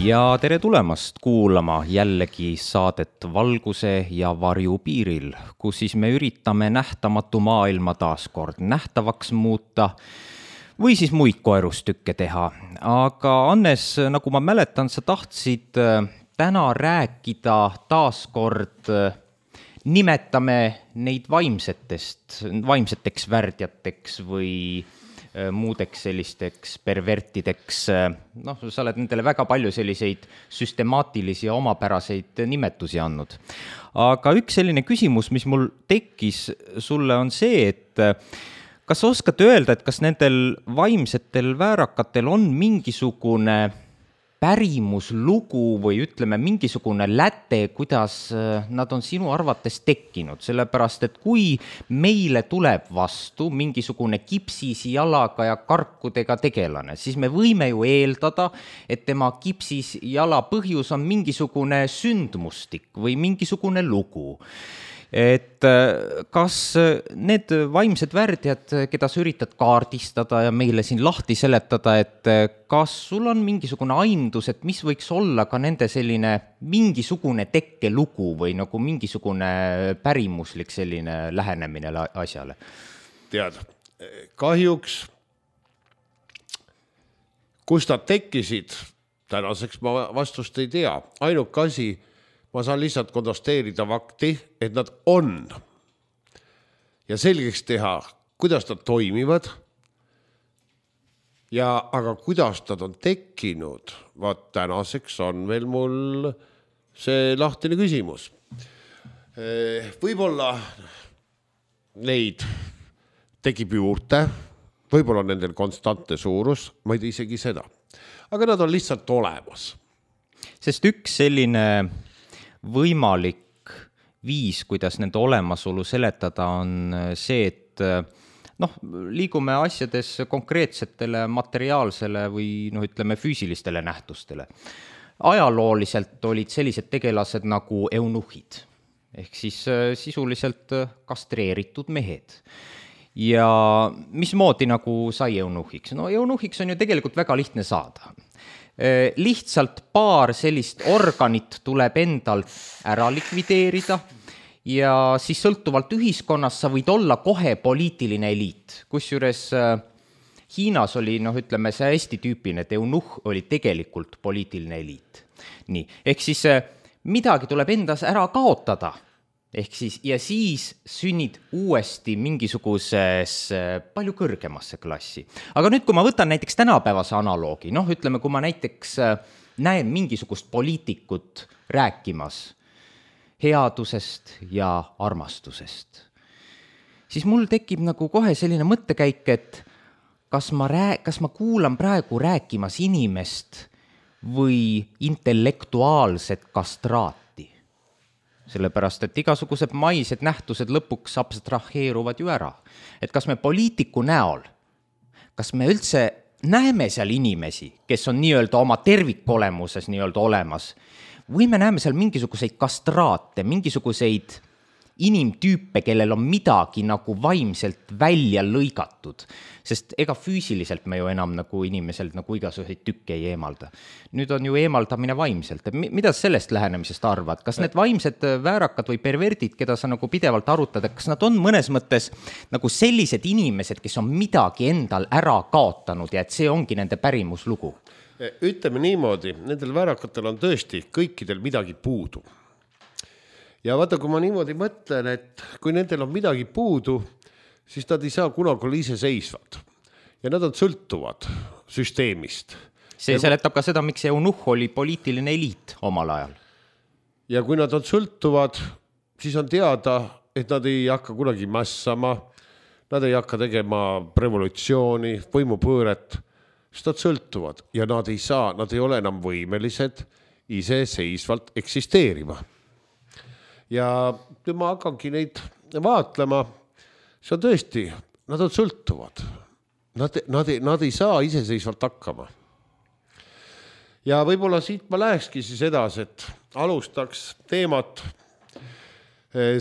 Ja tere tulemast kuulama jällegi saadet Valguse ja varju piiril, kus siis me üritame nähtamatu maailma taaskord nähtavaks muuta või siis muid koerustükke teha. Aga Annes, nagu ma mäletan, sa tahtsid täna rääkida taaskord, nimetame neid vaimseteks värdjateks või muudeks sellisteks pervertideks. Sa oled nendele väga palju selliseid süstemaatilisi ja omapäraseid nimetusi andnud. Aga üks selline küsimus, mis mul tekkis sulle, on see, et kas sa oskad öelda, et kas nendel vaimsetel väärakatel on mingisugune pärimuslugu või ütleme mingisugune läte, kuidas nad on sinu arvates tekkinud, sellepärast et kui meile tuleb vastu mingisugune kipsis jalaga ja karkudega tegelane, siis me võime ju eeldada, et tema kipsis jala põhjus on mingisugune sündmustik või mingisugune lugu. Et kas need vaimsed värdjad, keda sa üritad kaardistada ja meile siin lahti seletada, et kas sul on mingisugune aimdus, et mis võiks olla ka nende selline mingisugune tekkelugu või nagu mingisugune pärimuslik selline lähenemine asjale? Tead, kahjuks, kus nad tekkisid, tänaseks ma vastust ei tea. Ainuke asi, ma saan lihtsalt kontrasteerida fakti, et nad on. Ja selgeks teha, kuidas nad toimivad. Aga kuidas nad on tekkinud, vaat tänaseks on veel mul see lahtine küsimus. Võib-olla neid tekib juurde, võib-olla nendel konstantne suurus, ma ei tea isegi seda. Aga nad on lihtsalt olemas. Sest üks selline võimalik viis, kuidas nende olemasolu seletada, on see, et liigume asjades konkreetsetele materiaalsele või ütleme füüsilistele nähtustele. Ajalooliselt olid sellised tegelased nagu eunuhid, ehk siis sisuliselt kastreeritud mehed. Ja mismoodi nagu sai eunuhiks? Eunuhiks on ju tegelikult väga lihtne saada. Lihtsalt paar sellist organit tuleb endalt ära likvideerida ja siis sõltuvalt ühiskonnast sa võid olla kohe poliitiline eliit. Kusjuures Hiinas oli, ütleme, see hästi tüüpiline, et eunuh oli tegelikult poliitiline eliit. Nii, ehk siis midagi tuleb endas ära kaotada. Ehk siis, ja siis sünnid uuesti mingisuguses palju kõrgemasse klassi. Aga nüüd, kui ma võtan näiteks tänapäevase analoogi, ütleme, kui ma näiteks näen mingisugust poliitikut rääkimas headusest ja armastusest, siis mul tekib nagu kohe selline mõttekäik, et kas ma kuulan praegu rääkimas inimest või intellektuaalset kastraati. Sellepärast, et igasugused maised nähtused lõpuks abstraheeruvad ju ära. Et kas me poliitiku näol, kas me üldse näeme seal inimesi, kes on nii-öelda oma tervikolemuses nii-öelda olemas, või me näeme seal mingisuguseid kastraate, mingisuguseid inimtüüpe, kellel on midagi nagu vaimselt välja lõigatud, sest ega füüsiliselt me ju enam nagu inimeselt nagu igasuguseid tükke ei eemalda. Nüüd on ju eemaldamine vaimselt. Mida sellest lähenemisest arvad? Kas need vaimsed väärakad või perverdid, keda sa nagu pidevalt arutad, kas nad on mõnes mõttes nagu sellised inimesed, kes on midagi endal ära kaotanud ja et see ongi nende pärimuslugu? Ütleme niimoodi, nendel väärakatel on tõesti kõikidel midagi puudu. Ja vaata, kui ma niimoodi mõtlen, et kui nendel on midagi puudu, siis nad ei saa kunagi olla iseseisvad. Ja nad on sõltuvad süsteemist. See seletab ka seda, miks eunuh oli poliitiline eliit omal ajal. Ja kui nad on sõltuvad, siis on teada, et nad ei hakka kunagi mässama, nad ei hakka tegema revolutsiooni, võimupööret, sest nad sõltuvad ja nad ei ole enam võimelised iseseisvalt eksisteerima. Ja kui ma hakkangi neid vaatlema, see on tõesti, nad on sõltuvad. Nad ei saa iseseisvalt hakkama. Ja võib-olla siit ma lähekski siis edasi, et alustaks teemat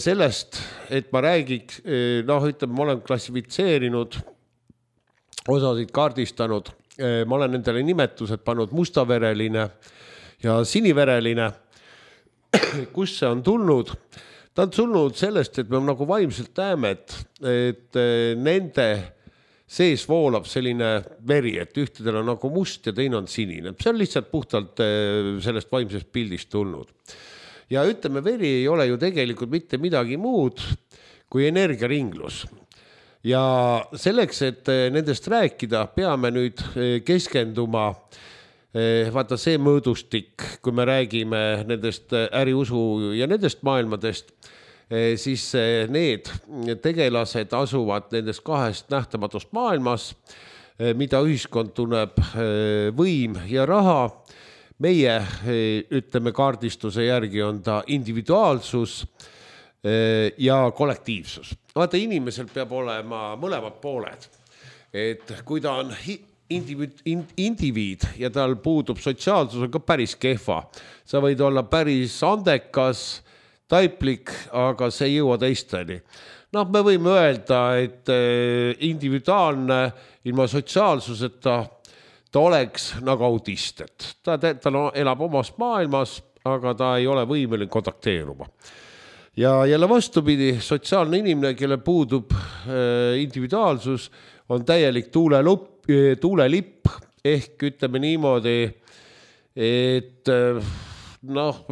sellest, et ma räägiks, ütleme, ma olen klassifitseerinud, osasid kaardistanud, ma olen nendele nimetused pannud mustavereline Ja sinivereline, kus see on tulnud? Ta on tulnud sellest, et me nagu vaimselt näeme, et nende sees voolab selline veri, et ühtedel on nagu must ja teine on sinine. See on lihtsalt puhtalt sellest vaimsest pildist tulnud. Ja ütleme, veri ei ole ju tegelikult mitte midagi muud kui energiaringlus. Ja selleks, et nendest rääkida, peame nüüd keskenduma, vaata see mõõdustik, kui me räägime nendest äriusu ja nendest maailmadest, siis need tegelased asuvad nendest kahest nähtamatust maailmas, mida ühiskond tunneb võim ja raha. Meie, ütleme, kaardistuse järgi on ta individuaalsus ja kollektiivsus. Vaata, inimesel peab olema mõlemad pooled. Et kui ta on indiviid ja tal puudub sotsiaalsus, on ka päris kehva. Sa võid olla päris andekas, taiplik, aga see ei jõua teisteni. Noh, me võime öelda, et individuaalne ilma sotsiaalsuseta ta oleks nagu autist, et ta elab omas maailmas, aga ta ei ole võimeline kontakteeruma. Ja jälle vastupidi, sotsiaalne inimene, kelle puudub individuaalsus, on täielik tuulelipp, ehk ütleme niimoodi, et noh,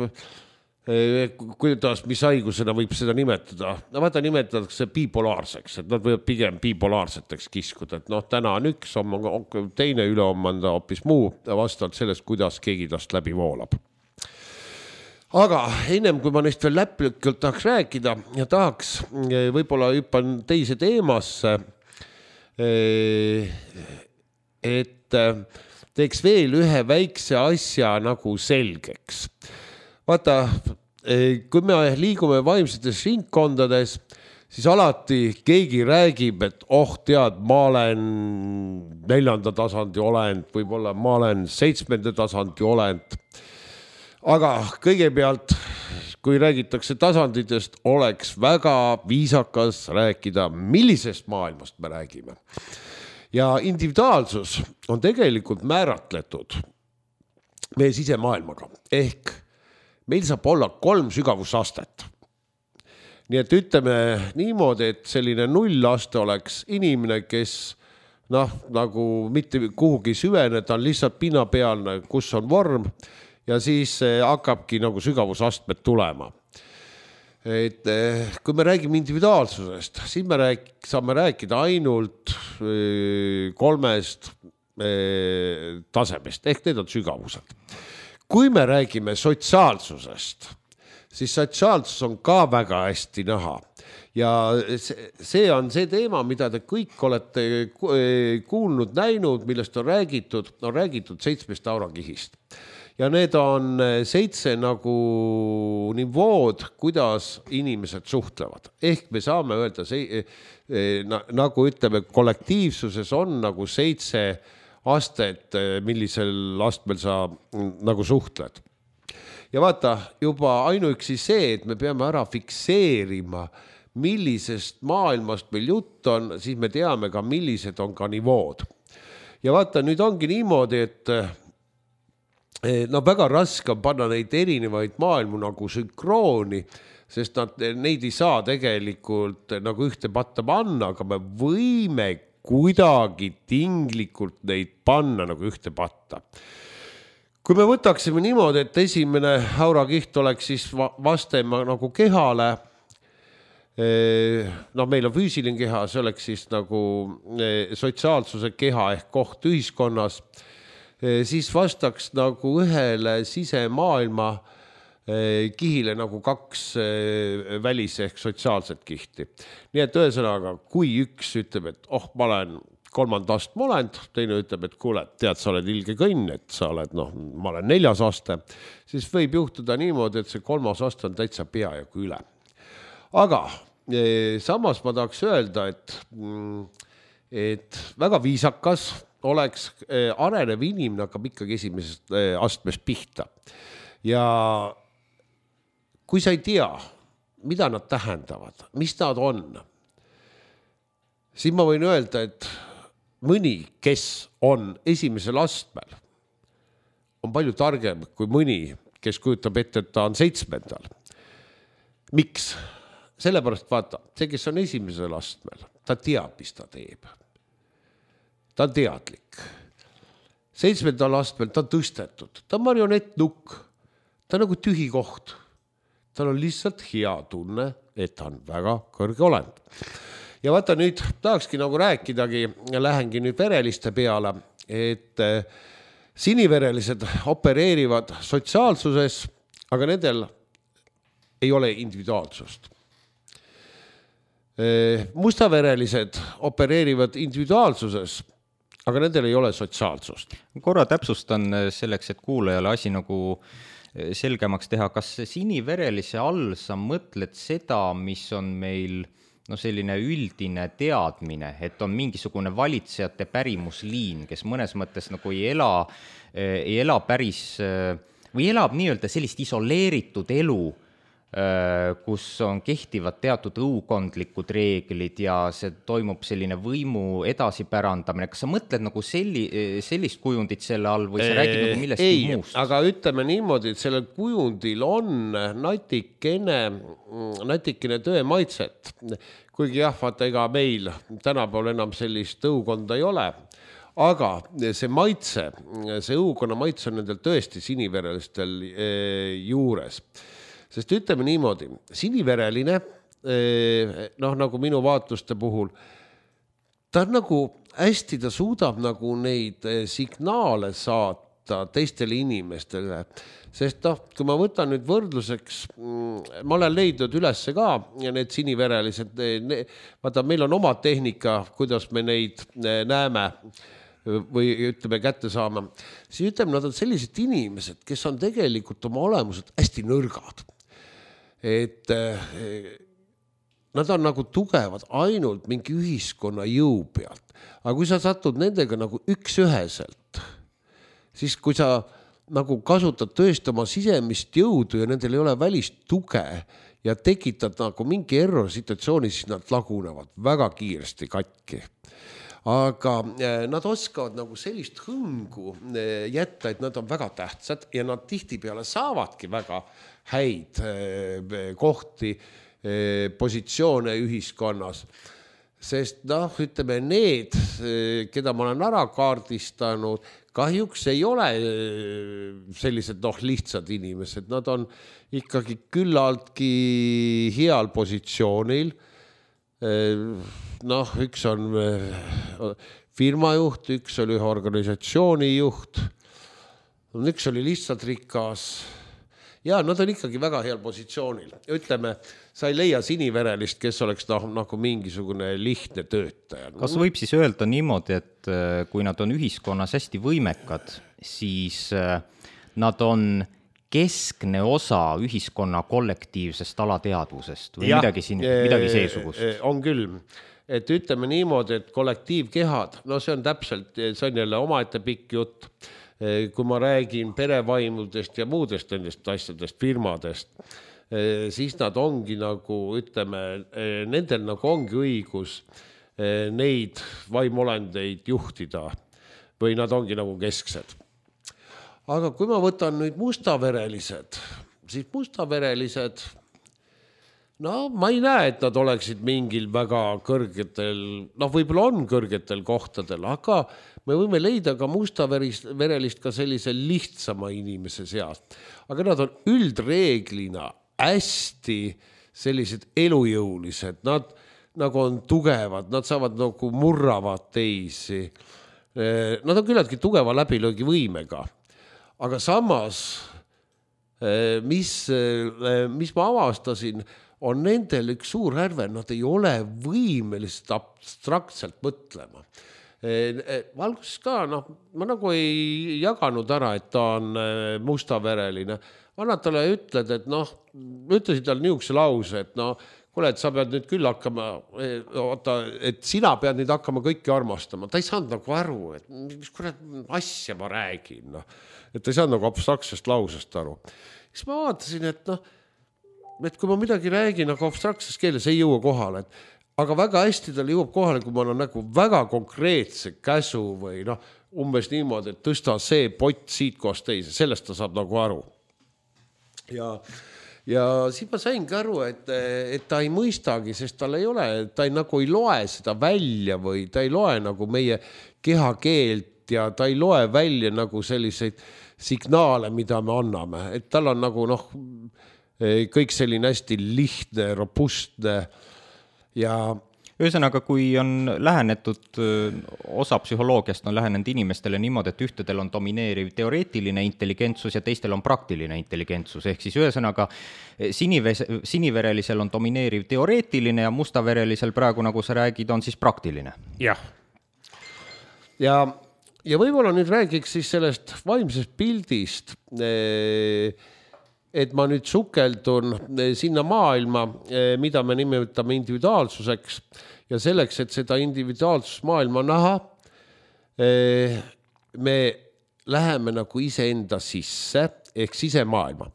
kuidas, mis haigusena võib seda nimetada? No vaata, nimetatakse bipolaarseks, et nad võivad pigem bipolaarseteks kiskuda, et noh, täna on üks, teine ülehomme on ta hoopis muu, vastavalt sellest, kuidas keegi tast läbi voolab. Aga ennem, kui ma neist veel läplikult tahaks rääkida ja tahaks võib-olla hüppan teise teemasse, et teeks veel ühe väikse asja nagu selgeks. Vaata, kui me liigume vaimsetes ringkondades, siis alati keegi räägib, et tead, ma olen 4. tasandi olend, võib-olla ma olen 7. tasandi olend. Aga kõigepealt, kui räägitakse tasanditest, oleks väga viisakas rääkida, millisest maailmast me räägime. Ja individuaalsus on tegelikult määratletud meie sisemaailmaga, ehk meil saab olla 3 sügavusastet. Nii et ütleme niimoodi, et selline 0 aste oleks inimene, kes nagu mitte kuhugi süvene, ta on lihtsalt pinnapealne, kus on vorm ja siis hakkabki nagu sügavusastmed tulema. Et kui me räägime individuaalsusest, siis me saame rääkida ainult 3 tasemest, ehk need on sügavused. Kui me räägime sotsiaalsusest, siis sotsiaalsus on ka väga hästi näha. Ja see on see teema, mida te kõik olete kuulnud, näinud, millest on räägitud 7 aurakihist. Ja need on 7 nagu nivood, kuidas inimesed suhtlevad. Ehk me saame öelda, nagu ütleme, kollektiivsuses on nagu 7 astet, millisel astmel sa nagu suhtled. Ja vaata, juba ainuüksi see, et me peame ära fikseerima, millisest maailmast meil jutt on, siis me teame ka, millised on ka nivood. Ja vaata, nüüd ongi niimoodi, et väga raske on panna neid erinevaid maailmu nagu sünkrooni, sest neid ei saa tegelikult nagu ühte patta panna, aga me võime kuidagi tinglikult neid panna nagu ühte patta. Kui me võtaksime niimoodi, et esimene aurakiht oleks siis vastema nagu kehale, meil on füüsiline keha, see oleks siis nagu sotsiaalsuse keha ehk koht ühiskonnas, siis vastaks nagu ühele sisemaailma kihile nagu 2 välis ehk sotsiaalset kihti. Nii et ühesõnaga, kui üks ütleb, et ma olen 3. astme olend, teine ütleb, et kuule, tead, sa oled ilge kõnn, et sa oled, ma olen 4. aste, siis võib juhtuda niimoodi, et see 3. aste on täitsa peaaegu üle. Aga samas ma tahaks öelda, et väga viisakas oleks arenev inimene hakkab ikkagi esimesest astmest pihta. Ja kui sa ei tea, mida nad tähendavad, mis nad on, siis ma võin öelda, et mõni, kes on esimesel astmel, on palju targem kui mõni, kes kujutab ette, et ta on 7. Miks? Sellepärast vaata, see, kes on esimesel astmel, ta teab, mis ta teeb. Ta on teadlik. 7. astmel ta on tõstetud, ta on marionettnukk, ta on nagu tühi koht. Tal on lihtsalt hea tunne, et ta on väga kõrge olend. Ja vaata nüüd tahakski nagu rääkidagi ja lähengi nüüd vereliste peale, et siniverelised opereerivad sotsiaalsuses, aga nendel ei ole individuaalsust. Mustaverelised opereerivad individuaalsuses, aga nendel ei ole sotsiaalsust. Korra täpsustan selleks, et kuulajale asi nagu selgemaks teha, kas siniverelise all sa mõtled seda, mis on meil selline üldine teadmine, et on mingisugune valitsejate pärimusliin, kes mõnes mõttes nagu ei ela päris või elab nii-öelda sellist isoleeritud elu, kus on kehtivad teatud õukondlikud reeglid ja see toimub selline võimu edasipärandamine. Kas sa mõtled nagu sellist kujundit selle all või sa räägid nagu millestki muust? Aga ütleme niimoodi, et sellel kujundil on natikene tõemaitset. Kuigi jah, vaata, ega meil tänapäeval enam sellist õukonda ei ole. Aga see maitse, see õukonna maitse on nendel tõesti siniverelistel juures. Sest ütleme niimoodi, sinivereline, nagu minu vaatluste puhul, ta on nagu hästi, ta suudab nagu neid signaale saata teistele inimestele. Sest kui ma võtan nüüd võrdluseks, ma olen leidnud ülesse ka need siniverelised, vaata, meil on oma tehnika, kuidas me neid näeme või ütleme kätte saama. Siis ütleme, nad on sellised inimesed, kes on tegelikult oma olemused hästi nõrgad. Et nad on nagu tugevad ainult mingi ühiskonna jõu pealt. Aga kui sa satud nendega nagu üksüheselt, siis kui sa nagu kasutad tõesti oma sisemist jõudu ja nendel ei ole välist tuge ja tekitad nagu mingi error situatsiooni, siis nad lagunevad väga kiiresti katki. Aga nad oskavad nagu sellist hõngu jätta, et nad on väga tähtsad ja nad tihtipeale saavadki väga häid kohti, positsioone ühiskonnas. Sest ütleme, need, keda ma olen ära kaardistanud, kahjuks ei ole sellised lihtsad inimesed. Nad on ikkagi küllaltki heal positsioonil. Üks on firmajuht, üks oli ühe organisatsiooni juht, üks oli lihtsalt rikas. Ja nad on ikkagi väga heal positsioonil. Ütleme, sa ei leia siniverelist, kes oleks nagu mingisugune lihtne töötaja. Kas võib siis öelda niimoodi, et kui nad on ühiskonnas hästi võimekad, siis nad on keskne osa ühiskonna kollektiivsest alateadvusest või midagi seesugust? On küll. Et ütleme niimoodi, et kollektiivkehad, see on täpselt, see on jälle omaette pikk jutt. Kui ma räägin perevaimudest ja muudest nendest asjadest, firmadest, siis nad ongi nagu, ütleme, nendel nagu ongi õigus neid vaimuolendeid juhtida või nad ongi nagu kesksed. Aga kui ma võtan nüüd mustaverelised, siis mustaverelised, ma ei näe, et nad oleksid mingil väga kõrgetel, võib-olla on kõrgetel kohtadel, aga me võime leida ka mustaverelist ka sellise lihtsama inimese seast. Aga nad on üldreeglina hästi sellised elujõulised, nad nagu on tugevad, nad saavad nagu murravad teisi. Nad on küllaltki tugeva läbilöögi võimega. Aga samas, mis ma avastasin, on nendel üks suur härve, nad ei ole võimelised abstraktselt mõtlema. Valguses ka, ma nagu ei jaganud ära, et ta on mustavereline. Annad talle ütled, et ütlesid talle niisuguse lause, et kuule, et sa pead nüüd küll hakkama, et sina pead nüüd hakkama kõiki armastama. Ta ei saanud nagu aru, et mis kurat asja ma räägin. Et ta ei saanud nagu abstraktsest lausest aru. Siis ma vaatasin, et kui ma midagi räägin, aga abstraktses keeles ei jõua kohale, aga väga hästi tal jõuab kohale, kui ma olen nagu väga konkreetse käsu või umbes niimoodi, et tõsta see pott siit kohast teise, sellest ta saab nagu aru. Ja siis ma saingi aru, et ta ei mõistagi, sest tal ei ole, ta nagu ei loe seda välja või ta ei loe nagu meie kehakeelt ja ta ei loe välja nagu selliseid signaale, mida me anname. Et tal on nagu kõik selline hästi lihtne, robustne ja ühesõnaga, kui on lähenetud, osa psühholoogiast on lähenenud inimestele niimoodi, et ühtedel on domineeriv teoreetiline intelligentsus ja teistel on praktiline intelligentsus, ehk siis ühesõnaga siniverelisel on domineeriv teoreetiline ja mustaverelisel praegu, nagu sa räägid, on siis praktiline. Jah. Ja võib-olla nüüd räägiks siis sellest vaimsest pildist, et ma nüüd sukeldun sinna maailma, mida me nimetame individuaalsuseks ja selleks, et seda individuaalsusmaailma näha, me läheme nagu iseenda sisse ehk sisemaailma.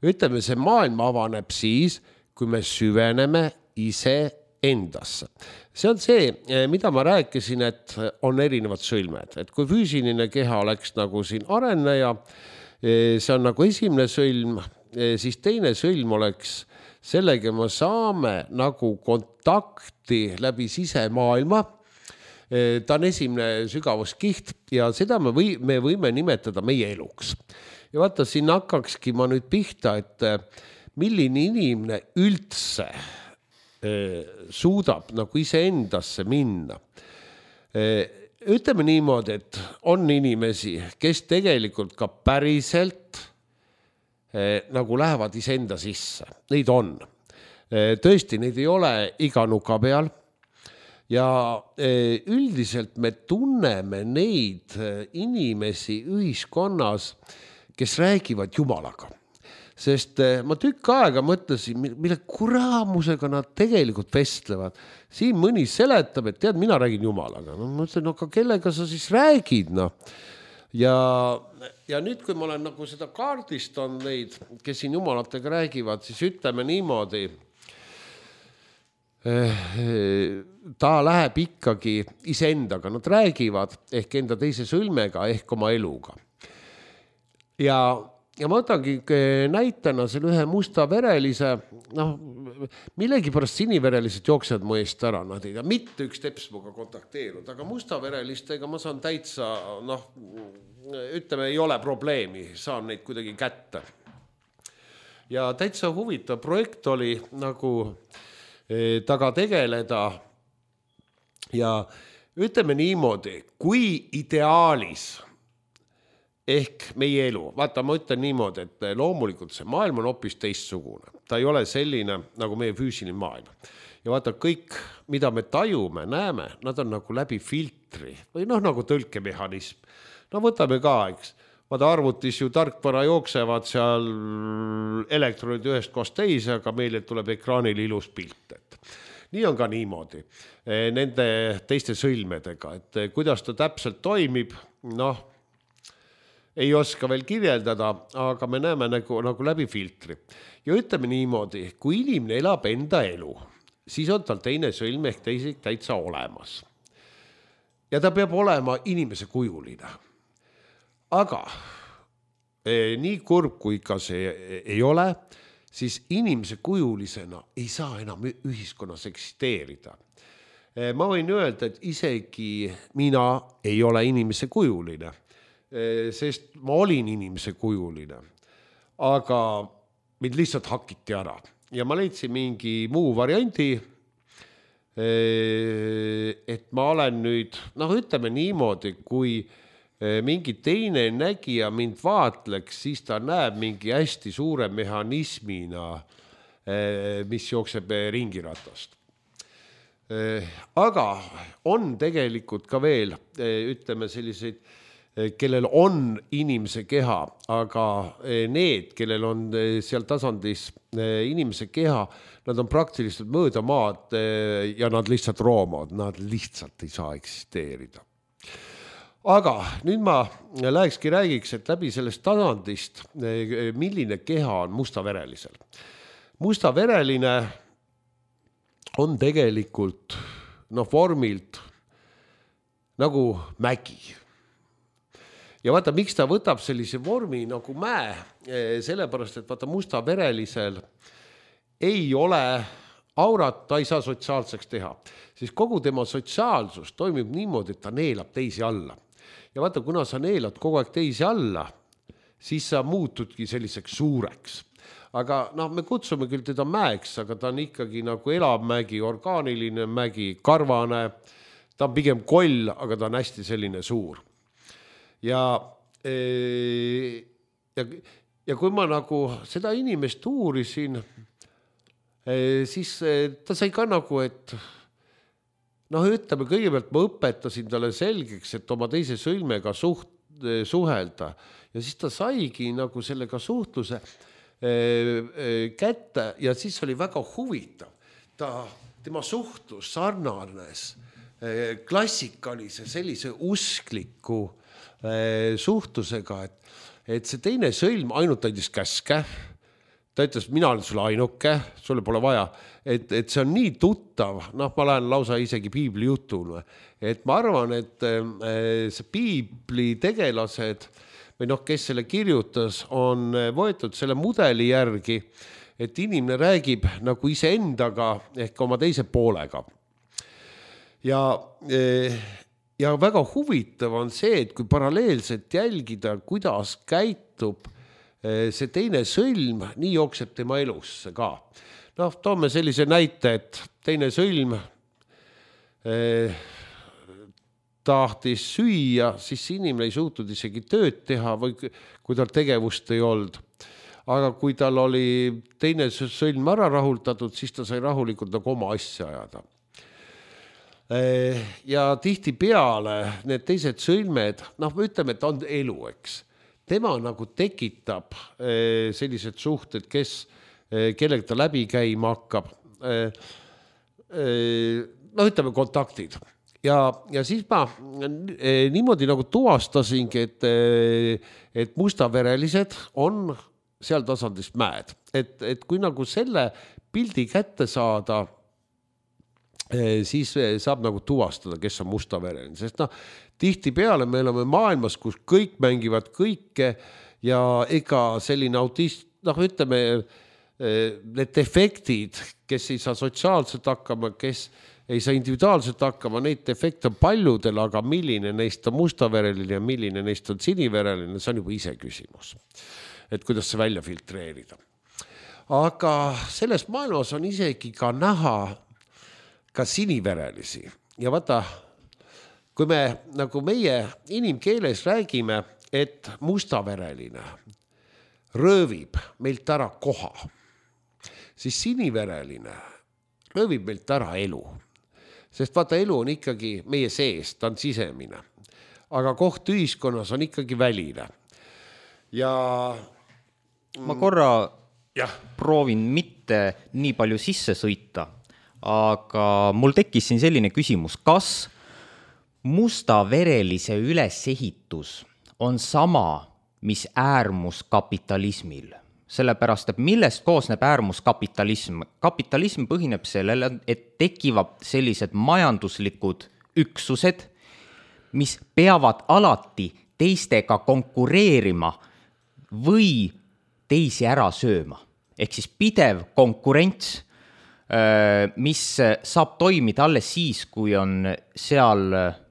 Ütleme, see maailm avaneb siis, kui me süveneme iseendasse. See on see, mida ma rääkisin, et on erinevad sõlmed, et kui füüsiline keha oleks nagu siin areneja, see on nagu esimene sõlm, siis teine sõlm oleks sellega me saame nagu kontakti läbi sisemaailma. Ta on esimene sügavuskiht ja seda me võime nimetada meie eluks. Ja vaata, siin hakkakski ma nüüd pihta, et milline inimene üldse suudab nagu iseendasse minna. Ütleme niimoodi, et on inimesi, kes tegelikult ka päriselt nagu lähevad iseenda sisse. Neid on. Tõesti, neid ei ole iga nuka peal. Ja üldiselt me tunneme neid inimesi ühiskonnas, kes räägivad Jumalaga. Sest ma tükk aega mõtlesin, mille kuraamusega nad tegelikult vestlevad. Siin mõni seletab, et tead, mina räägin Jumalaga. Ma mõtlen, aga kellega sa siis räägid? Ja nüüd, kui ma olen nagu seda kaardist on neid, kes siin Jumalatega räägivad, siis ütleme niimoodi, ta läheb ikkagi iseendaga. Nad räägivad ehk enda teise sõlmega ehk oma eluga. Ja ma võtangi näitena selle ühe mustaverelise, millegipärast siniverelised jooksevad mu eest ära, nad ei tea, mitte üks teps muga kontakteerunud, aga mustaverelistega ma saan täitsa, ütleme, ei ole probleemi, saan neid kuidagi kätte. Ja täitsa huvitav projekt oli nagu taga tegeleda ja ütleme niimoodi, kui ideaalis ehk meie elu. Vaata, ma ütlen niimoodi, et loomulikult see maailm on hoopis teistsugune. Ta ei ole selline nagu meie füüsiline maailm. Ja vaata, kõik, mida me tajume, näeme, nad on nagu läbi filtri või nagu tõlkemehhanism. Võtame ka, eks. Vaata, arvutis ju tarkvara jooksevad seal elektronid ühest kohast teise, aga meile tuleb ekraanil ilus pilt. Nii on ka niimoodi nende teiste sõlmedega, et kuidas ta täpselt toimib, ei oska veel kirjeldada, aga me näeme nagu läbi filtri. Ja ütleme niimoodi, kui inimene elab enda elu, siis on tal teine sõlm ehk teisik täitsa olemas. Ja ta peab olema inimese kujuline. Aga nii kurb, kui ka see ei ole, siis inimese kujulisena ei saa enam ühiskonnas eksisteerida. Ma võin öelda, et isegi mina ei ole inimese kujuline. Sest ma olin inimese kujuline, aga mind lihtsalt hakiti ära. Ja ma leidsin mingi muu variandi, et ma olen nüüd, ütleme niimoodi, kui mingi teine nägija mind vaatleks, siis ta näeb mingi hästi suure mehhanismina, mis jookseb ringiratast. Aga on tegelikult ka veel, ütleme selliseid, kellel on inimese keha, aga need, kellel on seal tasandis inimese keha, nad on praktiliselt mööda maad ja nad lihtsalt roomavad, nad lihtsalt ei saa eksisteerida. Aga nüüd ma räägiks, et läbi sellest tasandist, milline keha on mustaverelisel. Mustavereline on tegelikult vormilt nagu mägi. ja vaata, miks ta võtab sellise vormi nagu mäe, sellepärast, et vaata mustaverelisel ei ole aurat, ta ei saa sotsiaalseks teha, siis kogu tema sotsiaalsus toimib niimoodi, et ta neelab teisi alla. Ja vaata, kuna sa neelad kogu aeg teisi alla, siis sa muutudki selliseks suureks. Aga me kutsume küll teda mäeks, aga ta on ikkagi nagu elav mägi, orgaaniline mägi, karvane, ta on pigem koll, aga ta on hästi selline suur. Ja kui ma nagu seda inimest uurisin, siis ta sai ka nagu, et ütleme, kõigepealt ma õpetasin talle selgeks, et oma teise sõlmega suhelda ja siis ta saigi nagu sellega suhtluse kätte ja siis oli väga huvitav. Tema suhtlus sarnanes klassikalise sellise uskliku suhtlusega, et see teine sõlm ainult andis käske. Ta ütles, mina olen sulle ainuke, sulle pole vaja, et see on nii tuttav, ma lähen lausa isegi piibli jutule, et ma arvan, et see piibli tegelased või kes selle kirjutas, on võetud selle mudeli järgi, et inimene räägib nagu iseendaga ehk oma teise poolega. Ja väga huvitav on see, et kui paralleelselt jälgida, kuidas käitub see teine sõlm, nii jookseb tema elusse ka. Toome sellise näite, et teine sõlm tahtis süüa, siis inimene ei suutnud isegi tööd teha või kui tal tegevust ei olnud. Aga kui tal oli teine sõlm ära rahuldatud, siis ta sai rahulikult nagu oma asja ajada. Ja tihti peale need teised sõlmed, ütleme, et on elu, eks. Tema nagu tekitab sellised suhted, kellega ta läbi käima hakkab. Ütleme kontaktid. Ja siis ma niimoodi nagu tuvastasingi, et mustaverelised on seal tasandist mäed. Et kui nagu selle pildi kätte saada, siis saab nagu tuvastada, kes on mustavereline. Sest tihti peale me oleme maailmas, kus kõik mängivad kõike ja ega selline autist, ütleme, need defektid, kes ei saa sotsiaalselt hakkama, kes ei saa individuaalselt hakkama, neid defekte on paljudel, aga milline neist on mustavereline ja milline neist on sinivereline, see on juba ise küsimus. Et kuidas see välja filtreerida. Aga selles maailmas on isegi ka näha ka siniverelisi. Ja vaata, kui me nagu meie inimkeeles räägime, et mustavereline röövib meilt ära koha, siis sinivereline röövib meilt ära elu. Sest vaata, elu on ikkagi meie sees, ta on sisemine. Aga koht ühiskonnas on ikkagi väline. Ja ma korra proovin mitte nii palju sisse sõita, aga mul tekkis siin selline küsimus, kas mustaverelise ülesehitus on sama, mis äärmuskapitalismil? Sellepärast, et millest koosneb äärmuskapitalism? Kapitalism põhineb sellele, et tekivad sellised majanduslikud üksused, mis peavad alati teistega konkureerima või teisi ära sööma. Ehk siis pidev konkurents, mis saab toimida alles siis, kui on seal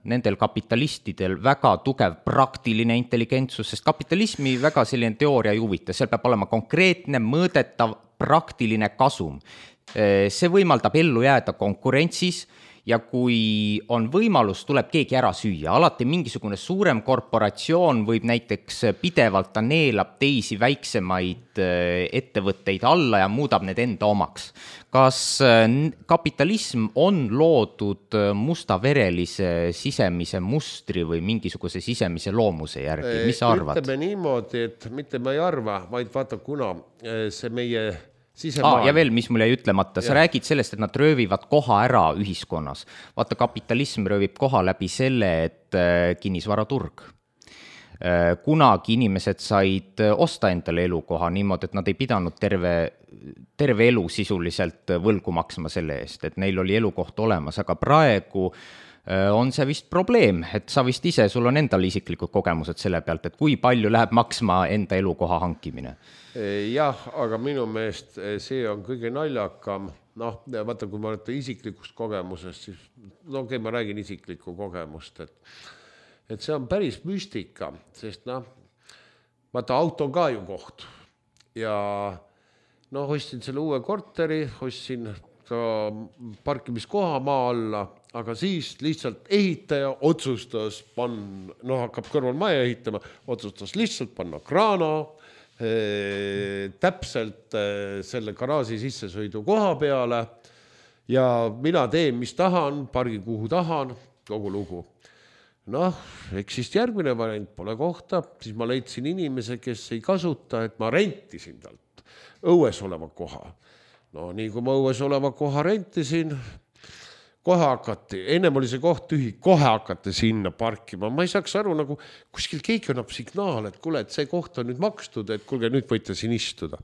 nendel kapitalistidel väga tugev praktiline intelligentsus, sest kapitalismi väga selline teooria ei huvita, seal peab olema konkreetne, mõõdetav, praktiline kasum. See võimaldab ellu jääda konkurentsis ja kui on võimalus, tuleb keegi ära süüa. Alati mingisugune suurem korporatsioon võib näiteks pidevalt, ta neelab teisi väiksemaid ettevõtteid alla ja muudab need enda omaks. Kas kapitalism on loodud mustaverelise sisemise mustri või mingisuguse sisemise loomuse järgi? Mis sa arvad? Ütleme niimoodi, et mitte ma ei arva, vaid vaata, kuna see meie ja veel, mis mul jäi ütlemata, sa räägid sellest, et nad röövivad koha ära ühiskonnas. Vaata, kapitalism röövib koha läbi selle, et kinnisvaraturg. Kunagi inimesed said osta endale elukoha niimoodi, et nad ei pidanud terve elu sisuliselt võlgu maksma selle eest, et neil oli elukoht olemas, aga praegu on see vist probleem, et sa vist ise, sul on endal isiklikud kogemused selle pealt, et kui palju läheb maksma enda elukoha hankimine? Jah, aga minu meelest see on kõige naljakam. Noh, vaata, kui ma olen isiklikust kogemusest, siis okei, ma räägin isiklikku kogemust, et see on päris müstika, sest vaata, auto on ka ju koht ja ostsin selle uue korteri, ostsin ka parkimiskoha maa alla, aga siis lihtsalt ehitaja otsustas hakkab kõrval maja ehitama, otsustas lihtsalt panna kraana täpselt selle garaaži sissesõidu koha peale ja mina teen, mis tahan, pargi kuhu tahan, kogu lugu. Eks siis järgmine variant pole kohta, siis ma leidsin inimese, kes ei kasuta, et ma rentisin talt õues oleva koha. Nii kui ma õues oleva koha rentisin, kohe hakati, ennem oli see koht tühi, kohe hakati sinna parkima. Ma ei saaks aru, nagu kuskil keegi annab signaal, et kuule, et see koht on nüüd makstud, et kuulge, nüüd võite siin istuda.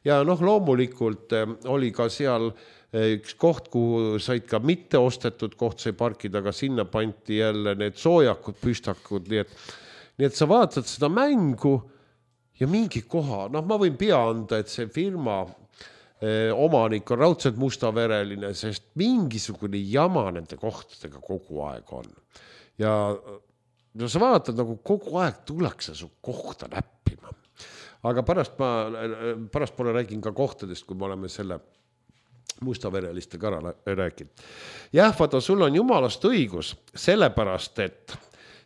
Ja loomulikult oli ka seal üks koht, kuhu said ka mitte ostetud koht sai parkida, aga sinna panti jälle need soojakud, püstakud, nii et sa vaatad seda mängu ja mingi koha, ma võin pea anda, et see firma omanik on raudselt mustavereline, sest mingisugune jama nende kohtadega kogu aeg on. Ja sa vaatad, nagu kogu aeg tullakse su kohta näppima. Aga pärast pole räägin ka kohtadest, kui me oleme selle mustavereliste kõrval rääkinud. Jah, vaata, sul on jumalast õigus, sellepärast, et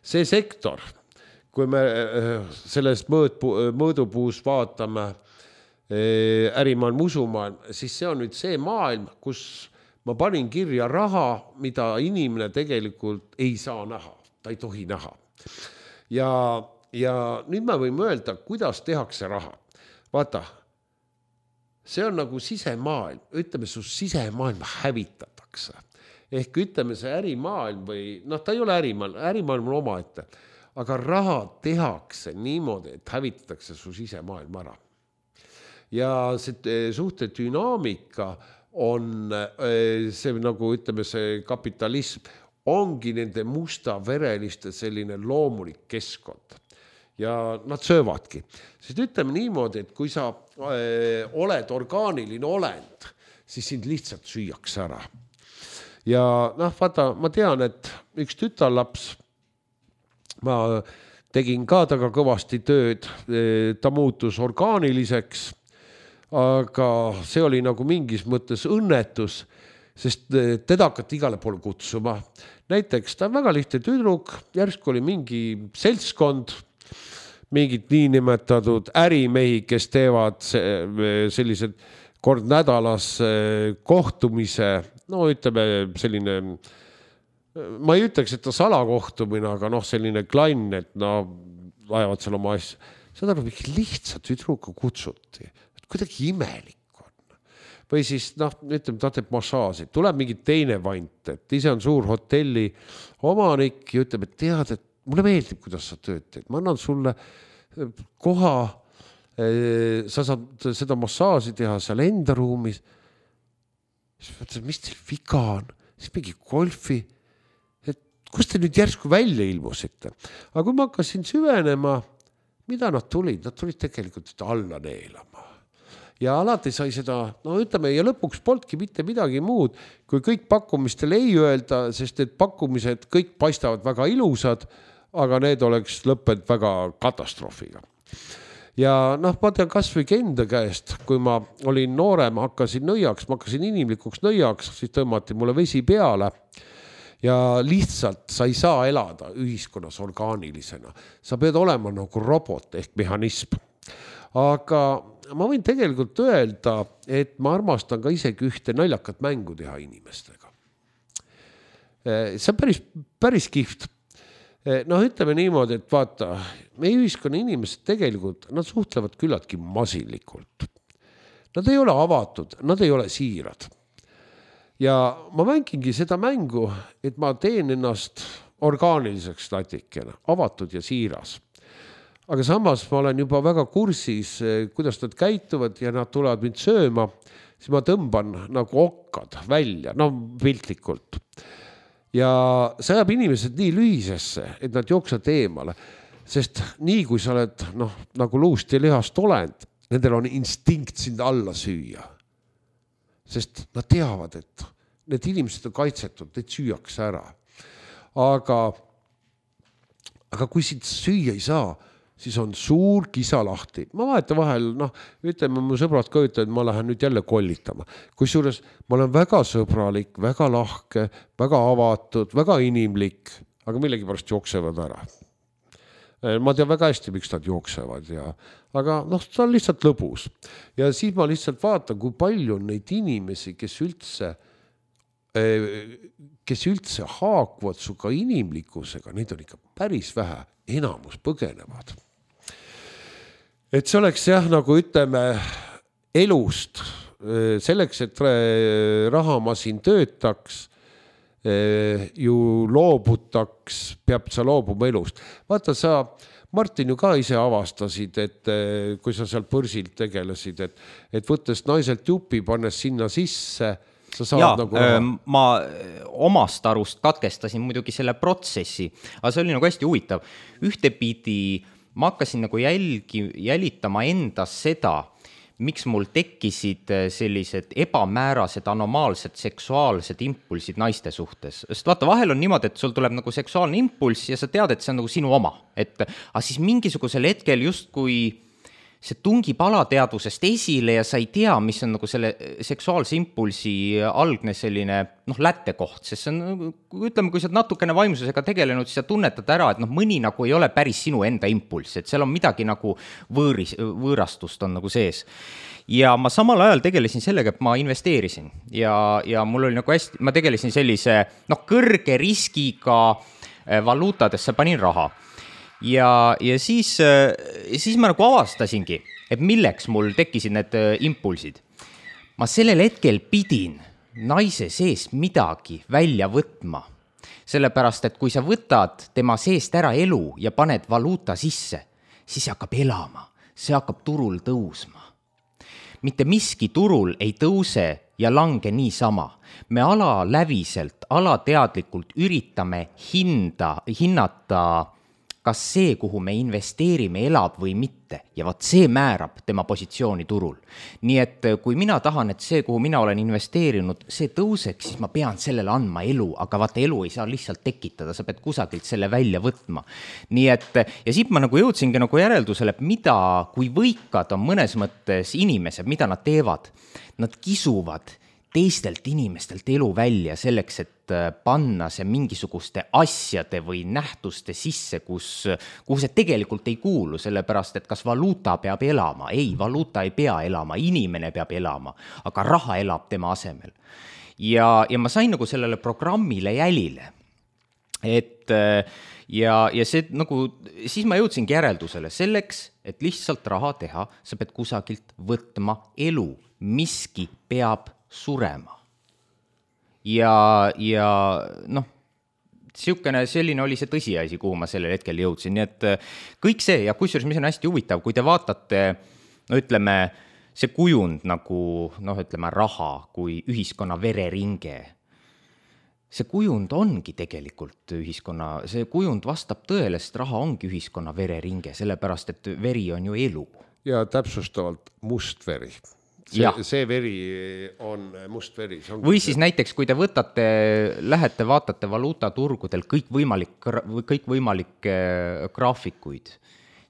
see sektor, kui me sellest mõõdupuus vaatame ärimaailm, usumaailm, siis see on nüüd see maailm, kus ma panin kirja raha, mida inimene tegelikult ei saa näha, ta ei tohi näha. Ja nüüd me võime öelda, kuidas tehakse raha. Vaata, see on nagu sisemaailm, ütleme, su sisemaailm hävitatakse. Ehk ütleme, see ärimaailm või, ta ei ole ärimaailm on omaette, aga raha tehakse niimoodi, et hävitatakse su sisemaailm ära. Ja see suhte dünaamika on see, nagu ütleme, see kapitalism ongi nende mustavereliste selline loomulik keskkond. Ja nad söövadki. Sest ütleme niimoodi, et kui sa oled orgaaniline olend, siis sind lihtsalt süüaks ära. Ja vaata, ma tean, et üks tütarlaps, ma tegin ka taga kõvasti tööd, ta muutus orgaaniliseks, aga see oli nagu mingis mõttes õnnetus, sest teda hakati igale poole kutsuma. Näiteks ta on väga lihtne tüdruk, järsku oli mingi seltskond, mingid niinimetatud ärimehi, kes teevad sellised kord nädalas kohtumise, ütleme selline, ma ei ütleks, et ta salakohtumine, aga selline klann, et ajavad seal oma asja. Seda mingi lihtsa tüdruka kutsuti. Kuidagi imelik on. Või siis, ütleme, ta teeb massaaži. Tuleb mingi teine vant, et ise on suur hotelli omanik ja ütleb, et tead, et mulle meeldib, kuidas sa tööd teed. Ma annan sulle koha, sa saad seda massaaži teha seal enda ruumis. Siis mõtlesin, mis teil viga on? Siis mingi golfi. Et kus te nüüd järsku välja ilmusite? Aga kui ma hakkasin süvenema, mida nad tulid? Nad tulid tegelikult alla neelama. Ja alati sai seda, ütleme, ja lõpuks polnudki mitte midagi muud, kui kõik pakkumistel ei öelda, sest et pakkumised kõik paistavad väga ilusad, aga need oleks lõppenud väga katastroofiga. Ja ma tean kas või enda käest, kui ma olin noorem, hakkasin inimlikuks nõiaks, siis tõmmati mulle vesi peale ja lihtsalt sa ei saa elada ühiskonnas orgaanilisena. Sa pead olema nagu robot ehk mehhanism. Aga ma võin tegelikult öelda, et ma armastan ka isegi ühte naljakat mängu teha inimestega. See on päris kihvt. Ütleme niimoodi, et vaata, meie ühiskonna inimesed tegelikult, nad suhtlevad küllaltki masinlikult. Nad ei ole avatud, nad ei ole siirad. Ja ma mängingi seda mängu, et ma teen ennast orgaaniliseks natikene, avatud ja siiras. Aga samas ma olen juba väga kursis, kuidas nad käituvad ja nad tulevad mind sööma, siis ma tõmban nagu okkad välja, piltlikult. ja see ajab inimesed nii lühisesse, et nad jooksevad eemale, sest nii kui sa oled nagu luust ja lihast olend, nendel on instinkt sind alla süüa. Sest nad teavad, et need inimesed on kaitsetud, need süüakse ära. Aga kui sind süüa ei saa, siis on suur kisa lahti. Ma vahetan vahel, ütleme, mu sõbrad ka ütlevad, et ma lähen nüüd jälle kollitama. Kusjuures ma olen väga sõbralik, väga lahke, väga avatud, väga inimlik, aga millegipärast jooksevad ära. Ma tean väga hästi, miks nad jooksevad, aga see on lihtsalt lõbus. Ja siis ma lihtsalt vaatan, kui palju on neid inimesi, kes üldse haakuvad suga inimlikkusega, neid on ikka päris vähe, enamus põgenevad. Et see oleks nagu ütleme elust, selleks, et rahamasin töötaks, ju loobutaks, peab sa loobuma elust. Vaata, sa, Martin, ju ka ise avastasid, et kui sa seal põrsilt tegelesid, et võttes naiselt jupi, pannes sinna sisse, sa saad nagu raha. Ma omast arust katkestasin muidugi selle protsessi, aga see oli nagu hästi huvitav. Ühtepidi ma hakkasin nagu jälitama endas seda, miks mul tekkisid sellised ebamäärased, anomaalsed seksuaalsed impulsid naiste suhtes. Sest vaata, vahel on niimoodi, et sul tuleb nagu seksuaalne impulss ja sa tead, et see on nagu sinu oma. Aga siis mingisugusel hetkel justkui see tungib alateadvusest esile ja sa ei tea, mis on nagu selle seksuaalse impulsi algne selline lättekoht, sest see on, ütleme, kui sa natukene vaimsusega tegelenud, siis sa tunnetad ära, et mõni nagu ei ole päris sinu enda impulss, et seal on midagi nagu võõrastust on nagu sees. Ja ma samal ajal tegelesin sellega, et ma investeerisin ja mul oli nagu hästi, ma tegelesin sellise kõrge riskiga valuutadesse panin raha. Ja siis ma nagu avastasingi, et milleks mul tekkisid need impulsid. Ma sellel hetkel pidin naise seest midagi välja võtma. Sellepärast, et kui sa võtad tema seest ära elu ja paned valuuta sisse, siis see hakkab elama, see hakkab turul tõusma. Mitte miski turul ei tõuse ja lange niisama. Me alaläviselt, alateadlikult üritame hinnata kas see, kuhu me investeerime, elab või mitte. Ja vaat see määrab tema positsiooni turul. Nii et kui mina tahan, et see, kuhu mina olen investeerinud, see tõuseks, siis ma pean sellele andma elu, aga vaata elu ei saa lihtsalt tekitada, sa pead kusagilt selle välja võtma. Nii et, ja siit ma nagu jõudsingi nagu järeldusele, et mida, kui võikad on mõnes mõttes inimesed, mida nad teevad, nad kisuvad teistelt inimestelt elu välja selleks, et panna see mingisuguste asjade või nähtuste sisse, kuhu see tegelikult ei kuulu, sellepärast, et kas valuuta peab elama? Ei, valuuta ei pea elama, inimene peab elama, aga raha elab tema asemel. Ja ma sain nagu sellele programmile jälile, et ja see nagu, siis ma jõudsingi järeldusele selleks, et lihtsalt raha teha, sa pead kusagilt võtma elu, miski peab surema. Ja selline oli see tõsiasi, kuhu ma sellel hetkel jõudsin. Nii et kõik see, ja kusjuures mis on hästi huvitav, kui te vaatate, ütleme, see kujund nagu, ütleme, raha kui ühiskonna vereringe. See kujund ongi tegelikult ühiskonna, see kujund vastab tõele, sest raha ongi ühiskonna vereringe, sellepärast, et veri on ju elu. Ja täpsustavalt must veri. See veri on must veri. Või siis näiteks, kui te lähete, vaatate valuutaturgudel kõikvõimalikke graafikuid,